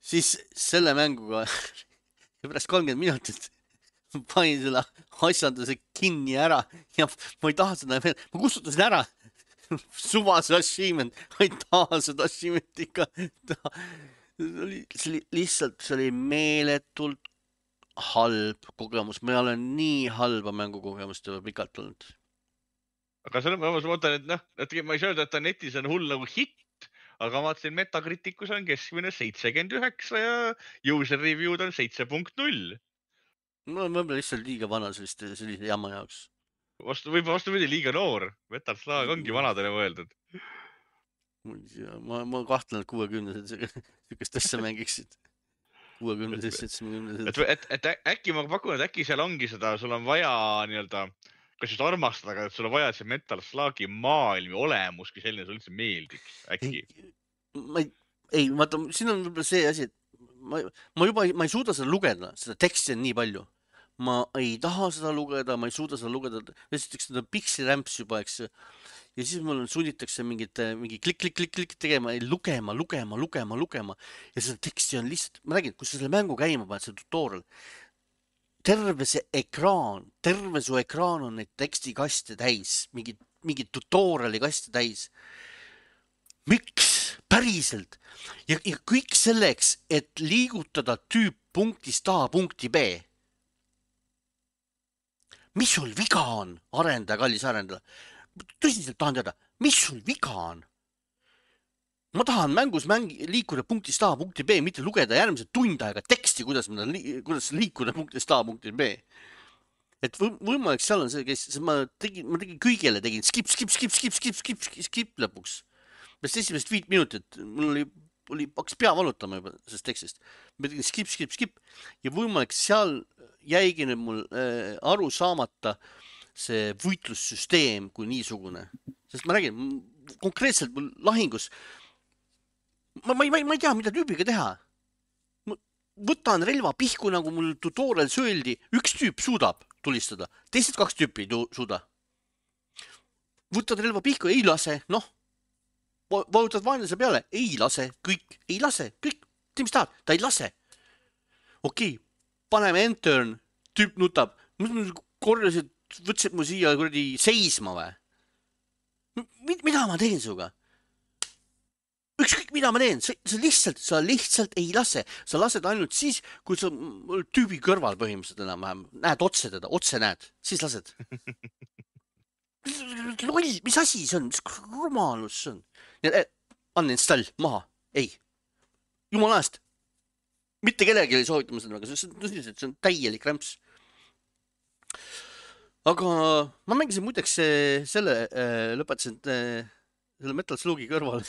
Siis selle mänguga pärast kolmkümmend minutit panin selle asjanduse kinni ära ja ma ei taha seda veel, ma kustutasin ära suvase achievement, ma ei taha seda achievement ikka taha. See oli lihtsalt, see oli meeletult halb kogemus, ma olen nii halba mängukogemust juba pikalt olnud. Aga selle ma mõtlen, et noh, et ma ei saa öelda, et ta netis on hull nagu hitt, aga ma vaatasin Metacriticus on keskmine seitsekümmend üheksa ja user review'd on seitse punkt null. No ma olen lihtsalt liiga vana selliste, sellise jamma jaoks. Vastu, võib vastu võidi liiga noor. Metal Slug ongi vanadele mõeldud. Ma, ma kahtlen, et kuuekümnesed sükest asja mängiksid. kuuekümnesed, seitsmekümnesed. Et, et, et äkki ma pakun, et äkki seal ongi seda, sul on vaja nii-öelda, kas just armastada, aga et sul on vaja see Metal Slugi maailmi olemus, kui selline sul üldse meeldiks. Äkki? Ma ei, ei, vaata, siin on võib-olla see asi, et ma, ma juba ma ei suuda seda lugeda, seda teksti on nii palju. Ma ei taha seda lugeda, ma ei suuda seda lugeda. Esiteks seda piksirämps juba, eks. Ja siis mul sunnitakse mingit, mingi klik, klik, klik, klik tegema, lugema, lugema, lugema, lugema. Ja seda teksti on lihtsalt, ma räägin, kui sa selle mängu käima paned, see tutorial, terve see ekraan, terve su ekraan on neid tekstikaste täis, mingi, mingi tutoriali kaste täis. Miks? Päriselt. Ja, ja kõik selleks, et liigutada tüüp punktist A punkti B. Mis sul viga on, arendaja, kallis arendaja? Tõsiselt tahan teada, mis sul viga on? Ma tahan mängus mängi, liikuda punktist A punkti B, mitte lugeda järgmise tund aega teksti, kuidas, li, kuidas liikuda punktist A punkti B. Et võimalik seal on see, kes ma tegin, ma tegin kõigele, tegin skip, skip, skip, skip, skip, skip, skip, skip lõpuks. Best esimest viit minutit, mul oli, oli hakkas pea valutama juba sellest tekstist. Ma tegin skip, skip, skip ja võimalik seal jäigi nüüd mul äh, aru saamata see võitlussüsteem kui niisugune. Sest ma räägin, konkreetselt mul lahingus, ma, ma, ei, ma ei tea, mida tüübiga teha. Ma võtan relva pihku, nagu mul tutorial sööldi, üks tüüp suudab tulistada, teised kaks tüüpi ei suuda. Võtad relva pihku, ei lase, noh. Vajutad vaenlase peale, ei lase, kõik, ei lase, kõik, tee mis tahad, ta ei lase. Okei, paneme enter, tüüp nutab, korjasid, võtsid mu siia kuradi seisma või? Mida ma teen suga? Ükskõik, mida ma teen, sa lihtsalt, sa lihtsalt ei lase, sa lased ainult siis, kui sa tüübi kõrval põhimõtteliselt enam-vähem, näed otse teda, otse näed, siis lased. Loll, mis asi see on, mis rumalus see on? Uninstall, maha, ei, jumala eest, mitte kellegi ei soovitama seda, aga see on, see on täielik rämps. Aga ma mängisin muideks selle, lõpetasin selle Metal Slugi kõrval,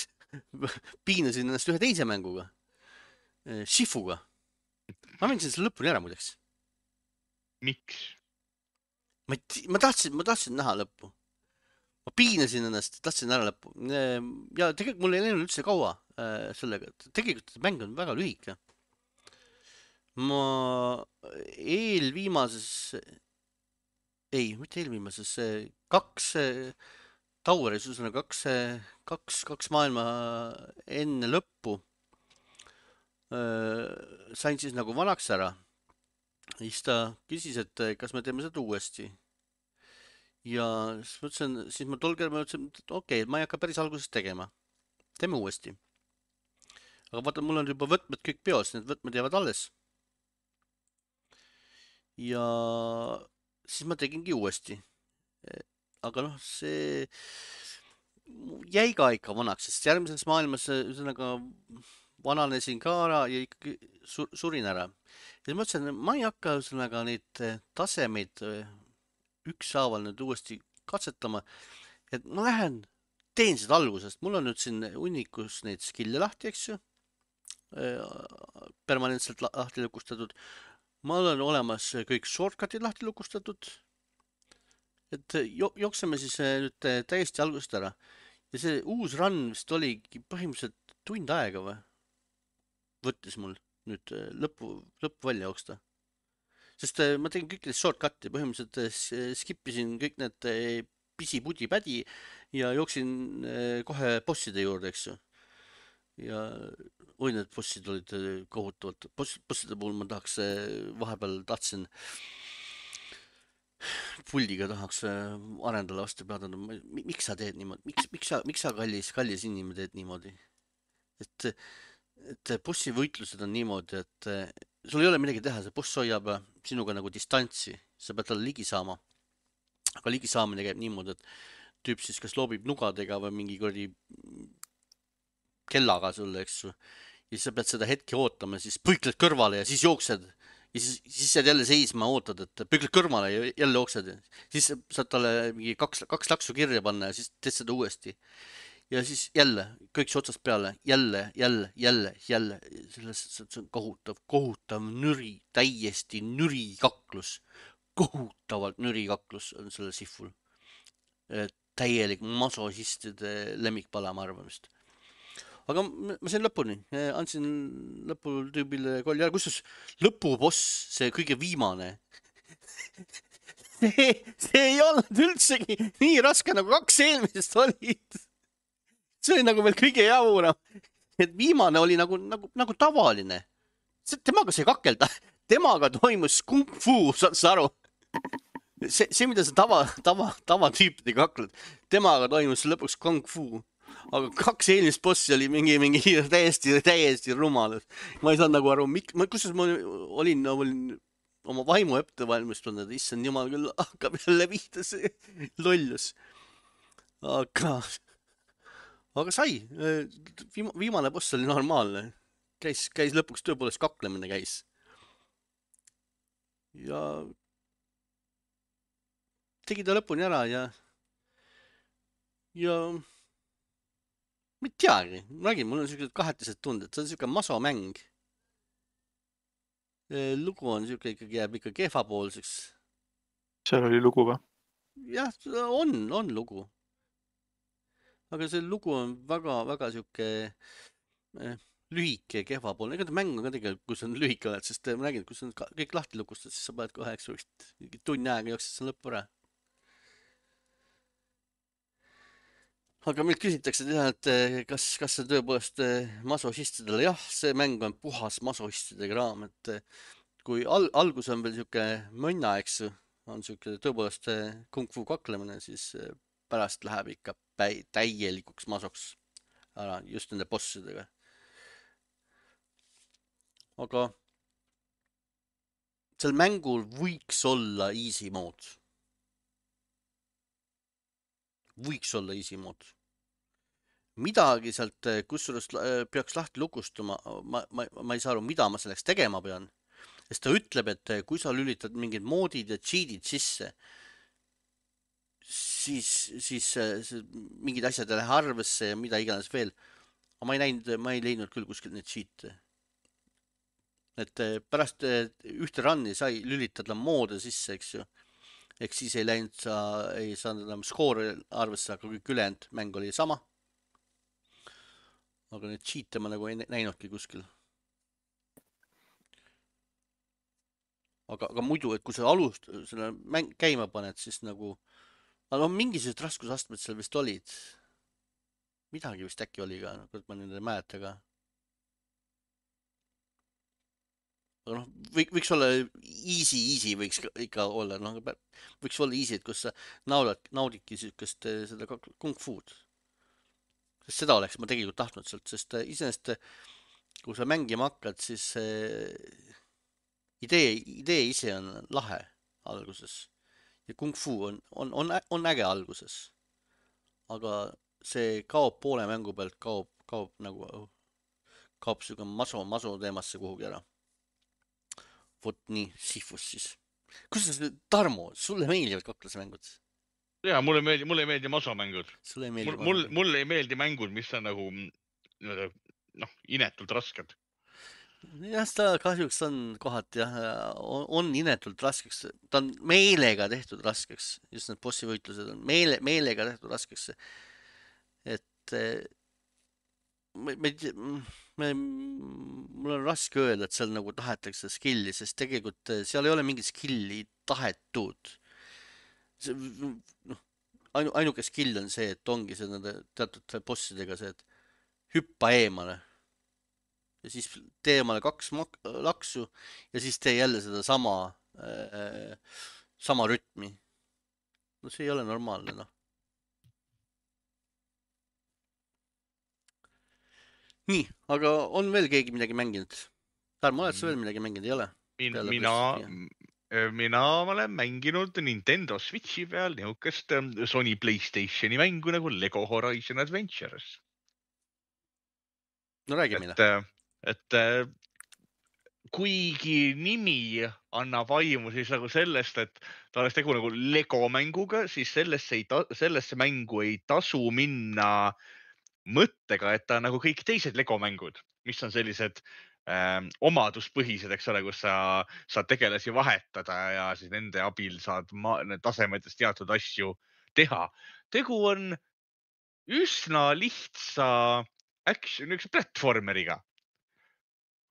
piinasin ennast ühe teise mänguga, Shifuga. Ma mängisin selle lõpuni ära muideks. Miks? Ma, ma tahtsin, ma tahtsin näha lõppu. Ma piinasin ennast, tahtsin ära lõppu. Ja tegelikult mul ei läinud üldse kaua sellega. Tegelikult mäng on väga lühike. Ma eelviimases, ei, mitte eelviimases, kaks Tauris, ühesõnaga kaks, kaks, kaks maailma enne lõppu sain siis nagu vanaks ära. Siis ta küsis, et kas me teeme seda uuesti. Ja siis mõtlesin, siis ma tol kerel mõtlesin, et okei, okay, ma ei hakka päris algusest tegema. Teeme uuesti. Aga vaata, mul on juba võtmed kõik peos, need võtmed jäävad alles. Ja siis ma tegingi uuesti. Aga noh, see jäi ka ikka vanaks, sest järgmises maailmas ühesõnaga vananesin ka ära ja ikkagi surin ära. Ja siis mõtlesin, et ma ei hakka ühesõnaga neid tasemeid ükshaaval nüüd uuesti katsetama, et ma lähen, teen seda algusest. Mul on nüüd siin hunnikus neid skill'e lahti, eks ju, permanentselt lahti lukustatud. Ma olen olemas kõik shortcutid lahti lukustatud. Et jookseme siis nüüd täiesti algusest ära. Ja see uus run vist oligi põhimõtteliselt tund aega või? Võttis mul nüüd lõppu, lõppu välja jooksta. Sest ma tegin kõik need shortcut'i, põhimõtteliselt skipisin kõik need pisi-pudi-pädi ja jooksin kohe bosside juurde, eks ju. Ja oi, need bossid olid kohutavalt. Bosside puhul ma tahaks, vahepeal tahtsin puldiga tahaks arendada vastu peada. Miks sa teed niimoodi? Miks, miks sa, miks sa kallis, kallis inimene teed niimoodi? Et, et bossi võitlused on niimoodi, et sul ei ole midagi teha, see boss hoiab sinuga nagu distantsi, sa pead talle ligi saama. Aga ligi saamine käib niimoodi, et tüüp siis kas loobib nugadega või mingi kordi kellaga sulle, eks ju. Ja siis sa pead seda hetke ootama, siis põikled kõrvale ja siis jooksed. Ja siis, siis saad jälle seisma ootad, et põikled kõrvale ja jälle jooksed. Siis saad talle mingi kaks, kaks laksu kirja panna ja siis teed seda uuesti. Ja siis jälle, kõik see otsast peale, jälle, jälle, jälle, jälle, sellest see on kohutav, kohutav nüri, täiesti nüri kaklus, kohutavalt nüri kaklus on selle sihvul. Täielik masohistide lemmikpala, ma arvamist. Aga ma sain lõpuni, andsin lõpul tüübile kolli ära, kusjuures lõpuboss, see kõige viimane, see, see ei olnud üldsegi nii raske nagu kaks eelmisest olid. See oli nagu veel kõige javuram, et viimane oli nagu, nagu, nagu tavaline. Temaga sai kakelda, temaga toimus kung fu, saad sa aru? See, see mida sa tava, tava, tava tüüpidega kakled, temaga toimus lõpuks kung fu. Aga kaks eelmist bossi oli mingi, mingi täiesti, täiesti rumal. Ma ei saanud nagu aru, kus ma olin, olin oma vaimu ette valmistunud, et issand jumal küll hakkab jälle vihta see lollus. Aga... Aga sai, viimane boss oli normaalne, käis, käis lõpuks tõepoolest kaklemine käis. Ja tegi ta lõpuni ära ja ja ma ei teagi, ma räägin, mul on sellised kahetised tunded, see on selline masomäng. Lugu on selline ikkagi jääb ikka kehvapoolseks. Seal oli lugu või? Jah, on, on lugu. Aga see lugu on väga, väga siuke eh, lühike ja kehvapoolne. Ega ta mäng on ka tegelikult, kus on lühike oled, sest ma räägin, kus on kõik lahti lukustad, siis sa paned kohe, eks võiks tunni aega jooksed see lõppu ära. Aga meilt küsitakse teha, et kas, kas see tõepoolest masohistidele, jah, see mäng on puhas masohistide kraam, et kui al algus on veel siuke mõnna, eks on siuke tõepoolest kung fu kaklemine, siis pärast läheb ikka täielikuks masoks ära just nende bossidega. Aga sel mängul võiks olla easy mood. Võiks olla easy mood. Midagi sealt, kusjuures peaks lahti lukustuma, ma, ma, ma ei saa aru, mida ma selleks tegema pean. Sest ta ütleb, et kui sa lülitad mingid moodid ja cheatid sisse, siis, siis mingid asjad ei lähe arvesse ja mida iganes veel. Aga ma ei näinud, ma ei leidnud küll kuskil neid cheat'e. Et pärast ühte run'i sai lülitada moode sisse, eks ju. Ehk siis ei läinud, sa ei saanud enam skoori arvesse, aga kõik ülejäänud mäng oli sama. Aga neid cheat'e ma nagu ei näinudki kuskil. Aga, aga muidu, et kui sa alust selle mäng käima paned, siis nagu aga no mingisugused raskusastmed seal vist olid. Midagi vist äkki oli ka, kuid ma nüüd ei mäleta ka. aga noh, võiks, võiks olla easy, easy võiks ikka olla, noh, võiks olla easy, et kus sa naudad, naudidki sihukest seda kung fu'd. sest seda oleks ma tegelikult tahtnud sealt, sest iseenesest, kui sa mängima hakkad, siis idee, idee ise on lahe alguses ja kung fu on, on, on, on äge alguses. aga see kaob poole mängu pealt, kaob, kaob nagu, kaob sihuke maso, maso teemasse kuhugi ära. Vot nii, Sifus siis. Kuidas, Tarmo, sulle meeldivad kaklasmängud? Jaa, mulle ei meeldi, mulle ei meeldi masomängud. Sulle ei meeldi mul, mul, mulle ei meeldi mängud, mis on nagu, noh, inetult rasked. Jah, ta kahjuks on kohati, jah, on, on inetult raskeks. Ta on meelega tehtud raskeks. Just need bossi võitlused on meele, meelega tehtud raskeks. Et me, me, me, mul on raske öelda, et seal nagu tahetakse skilli, sest tegelikult seal ei ole mingit skilli tahetud. No, ainu, ainuke skill on see, et ongi see nende teatud bossidega see, et hüppa eemale ja siis tee eemale kaks laksu ja siis tee jälle seda sama, äh, sama rütmi. No see ei ole normaalne, noh. Nii, aga on veel keegi midagi mänginud? Tarmo, oled sa veel midagi mänginud, ei ole? Min, mina, mina olen mänginud Nintendo Switchi peal niisugust Sony PlayStationi mängu nagu Lego Horizon Adventures. No räägi meile. Et, et kuigi nimi annab aimu siis nagu sellest, et ta oleks tegu nagu Lego mänguga, siis sellesse, ei ta, sellesse mängu ei tasu minna mõttega, et ta on nagu kõik teised Lego mängud, mis on sellised ähm, omaduspõhised, eks ole, kus sa saad tegelasi vahetada ja siis nende abil saad ma, tasemetes teatud asju teha. Tegu on üsna lihtsa action, üks platvormeriga,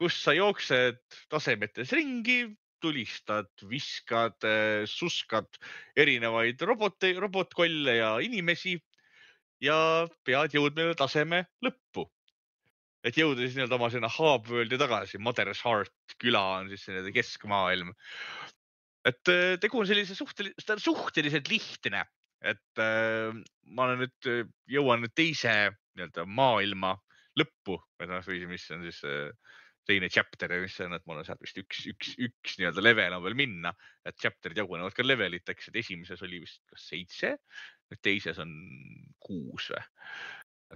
kus sa jooksed tasemetes ringi, tulistad, viskad, suskad erinevaid robote, robotkolle ja inimesi ja pead jõudma taseme lõppu. Et jõuda siis nii-öelda oma sinna Hub-Worldi tagasi. Mother's Heart küla on siis selline keskmaailm. Et tegu on sellise suhteliselt, suhteliselt lihtne. Et äh, ma olen nüüd, jõuan nüüd teise nii-öelda maailma lõppu, või mis on siis teine chapter ja mis on, et mul on sealt vist üks, üks, üks nii-öelda level on veel minna. Et chapterid jagunevad ka leveliteks, et esimeses oli vist kas seitse, teises on kuus või.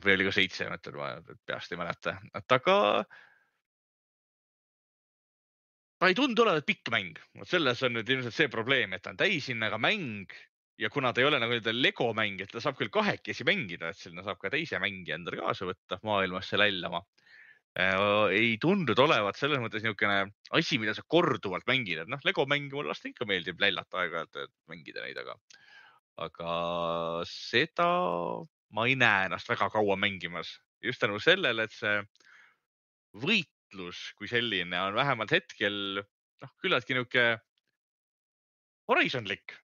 Või oli ka seitse, mõtled, ma peast ei mäleta. Et aga ta ei tundu olevat pikk mäng. Selles on nüüd ilmselt see probleem, et ta on täisinnaga mäng ja kuna ta ei ole nagu Lego mäng, et ta saab küll kahekesi mängida, et sinna saab ka teise mängi endale kaasa võtta maailmasse lällama. Ei tundunud olevat selles mõttes niisugune asi, mida sa korduvalt mängid. Et noh, Lego mängi mul lasta ikka meeldib lällata aeg-ajalt, et mängida neid, aga, aga seda ma ei näe ennast väga kaua mängimas. Just tänu sellele, et see võitlus kui selline on vähemalt hetkel noh, küllaltki niisugune horisonlik.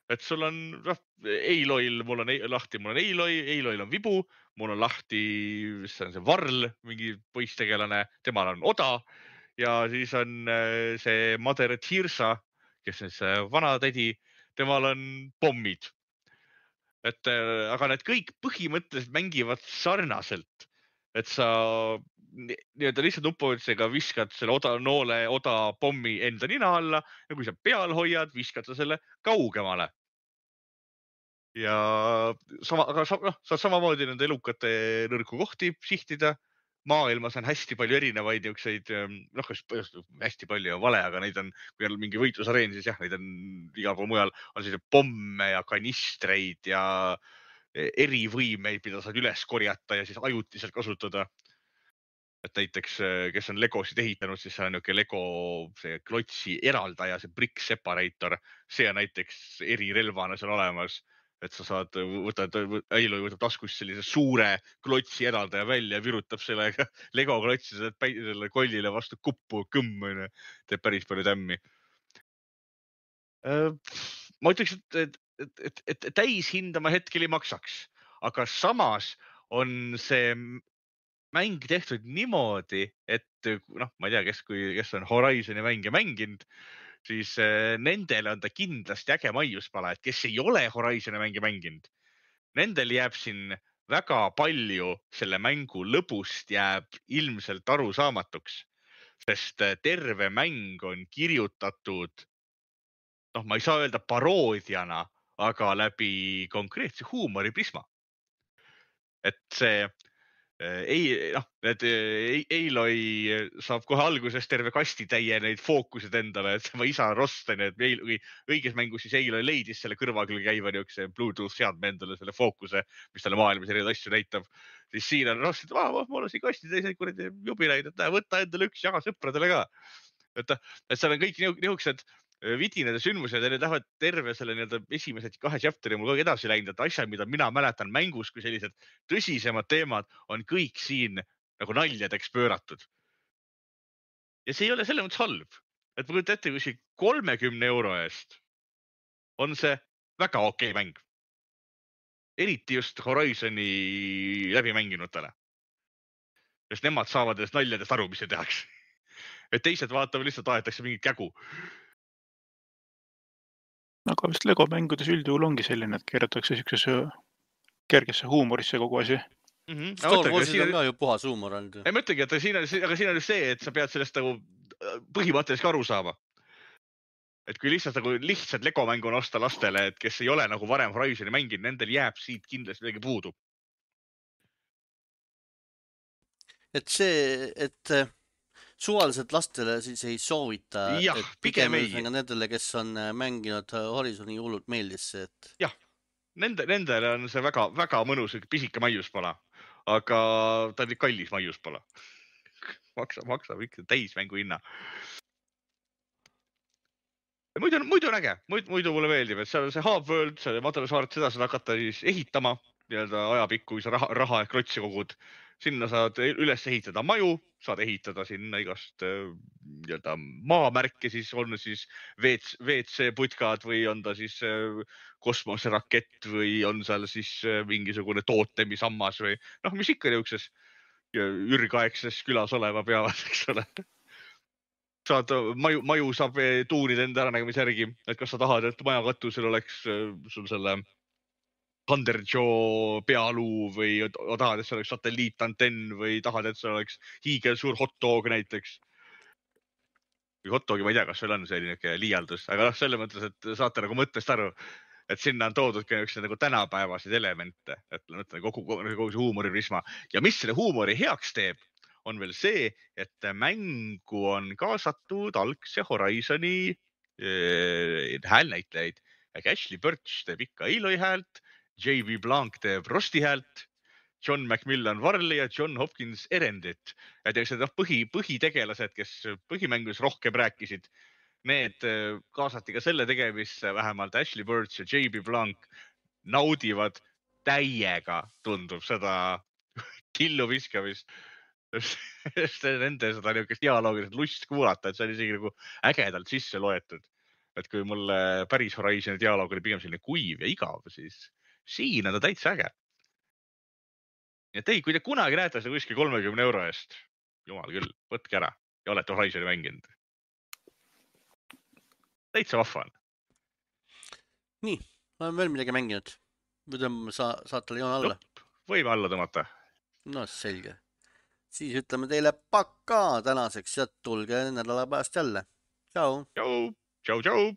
Et sul on, noh, Eiloil, mul on lahti, mul on Eiloi, Eiloil on vibu, mul on lahti, see on see Varl, mingi poistegelane, temal on Oda ja siis on see Mother Tirsa, kes on see vana tädi, temal on pommid. Et, aga need kõik põhimõtteliselt mängivad sarnaselt, et sa nii-öelda lihtsalt nupuotsega viskad selle oda, noole oda pommi enda nina alla ja kui sa peal hoiad, viskad sa selle kaugemale. Ja sama, aga no, saad samamoodi nende elukate nõrku kohti sihtida. Maailmas on hästi palju erinevaid niukseid, noh, hästi palju ja vale, aga neid on, kui on mingi võitlusareen, siis jah, neid on igal pool mujal, on selline pomme ja kanistreid ja erivõimeid, mida saad üles korjata ja siis ajutiselt kasutada. Et näiteks, kes on Legosid ehitanud, siis see on niuke Lego see klotsi eraldaja, see brick separator, see on näiteks erirelvana seal olemas. Et sa saad, võtad, Eiloi võtab taskus sellise suure klotsi eraldaja välja ja virutab sellega Lego klotsi selle kollile vastu kuppu, kõmm, teeb päris palju tämmi. Ma ütleks, et et, et, et täishinda ma hetkel ei maksaks, aga samas on see mäng tehtud niimoodi, et noh, ma ei tea, kes, kui, kes on Horizoni mänge mänginud, siis nendele on ta kindlasti äge maiuspala, et kes ei ole Horizoni mänge mänginud, nendel jääb siin väga palju selle mängu lõbust jääb ilmselt arusaamatuks, sest terve mäng on kirjutatud, noh, ma ei saa öelda paroodiana, aga läbi konkreetse huumoriprisma. Et see ei, noh, need Aloy saab kohe alguses terve kasti täie neid fookusid endale, et tema isa Rosten, et õiges mängus siis Aloy leidis selle kõrva küll käiva niukse Bluetooth seadme endale selle fookuse, mis talle maailmas erinevaid asju näitab. Siis siin on Rosten, et mul on siin kasti täis kuradi jubileid, et võta endale üks, jaga sõpradele ka. Et, et seal on kõik niisugused vidinad ja sündmused ja need lähevad terve selle nii-öelda esimesed kahe chapteri mul kogu edasi läinud, et asjad, mida mina mäletan mängus, kui sellised tõsisemad teemad on kõik siin nagu naljadeks pööratud. Ja see ei ole selle mõttes halb, et ma kujutan ette, kui siin kolmekümne euro eest on see väga okei mäng. Eriti just Horizoni läbimänginutele. Sest nemad saavad nendest naljadest aru, mis see tehakse. Et teised vaatavad lihtsalt aetakse mingit kägu. Aga vist Lego mängudes üldjuhul ongi selline, et keeratakse siuksesse kergesse huumorisse kogu asi. Mm -hmm. Star Warsid on ka ju puhas huumor olnud. Ei mõtlegi, et siin on, aga siin on just see, et sa pead sellest nagu põhimõtteliselt aru saama. Et kui lihtsalt nagu lihtsalt Lego mängu osta lastele, et kes ei ole nagu varem Horizoni mänginud, nendel jääb siit kindlasti midagi puudu. Et see, et suvaliselt lastele siis ei soovita, jah, et pigem ei. Nendele, kes on mänginud Horizoni hullult meeldis see, et... Jah, nende, nendele on see väga, väga mõnus pisike maiuspala, aga ta on kallis maiuspala. Maksab, maksab ikka täismängu hinna. Muidu, muidu on äge, muidu, muidu mulle meeldib, et seal on see Hub World, see Madalasaaret, seda saad hakata siis ehitama nii-öelda ajapikku, kui sa raha, raha ehk rotsi kogud. Sinna saad üles ehitada maju, saad ehitada sinna igast nii-öelda maamärke, siis on siis V C putkad või on ta siis kosmoserakett või on seal siis mingisugune tootemisammas või noh, mis ikka niukses ürgaegses külas olema peavad, eks ole. Saad maju, maju saab tuunida enda äranägemise järgi, et kas sa tahad, et maja katusel oleks sul selle Thunder Joe pealuu või tahad, et see oleks satelliitantenn või tahad, et see oleks hiigel suur hot dog näiteks. Või hot dogi ma ei tea, kas seal on selline liialdus, aga noh, selle mõttes, et saate nagu mõttest aru, et sinna on toodud ka üks nagu tänapäevaseid elemente, et kogu, kogu see huumoriprisma. Ja mis selle huumori heaks teeb, on veel see, et mängu on kaasatud algse Horizoni äh, häälnäitlejaid. Ashley Birch teeb ikka Aloy häält, J B Blanc teeb Rosti häält, John McMillan Varley ja John Hopkins Erendit. Et need põhi, põhitegelased, kes põhimängus rohkem rääkisid, need kaasati ka selle tegemisse, vähemalt Ashley Birch ja J B Blanc naudivad täiega, tundub seda killu viskamist. Nende seda niisugust dialoogilist lust kuulata, et see on isegi nagu ägedalt sisse loetud. Et kui mulle päris Horizoni dialoog oli pigem selline kuiv ja igav, siis siin on ta täitsa äge. Et ei, kui te kunagi näete seda kuskil kolmekümne euro eest, jumal küll, võtke ära ja olete Horizoni mänginud. Täitsa vahva on. Nii, ma olen veel midagi mänginud. Või tõmbame sa, saatele joon alla? Jupp, võime alla tõmmata. No selge. Siis ütleme teile pakka tänaseks ja tulge nädala pärast jälle. Tšau. Tšau, tšau, tšau.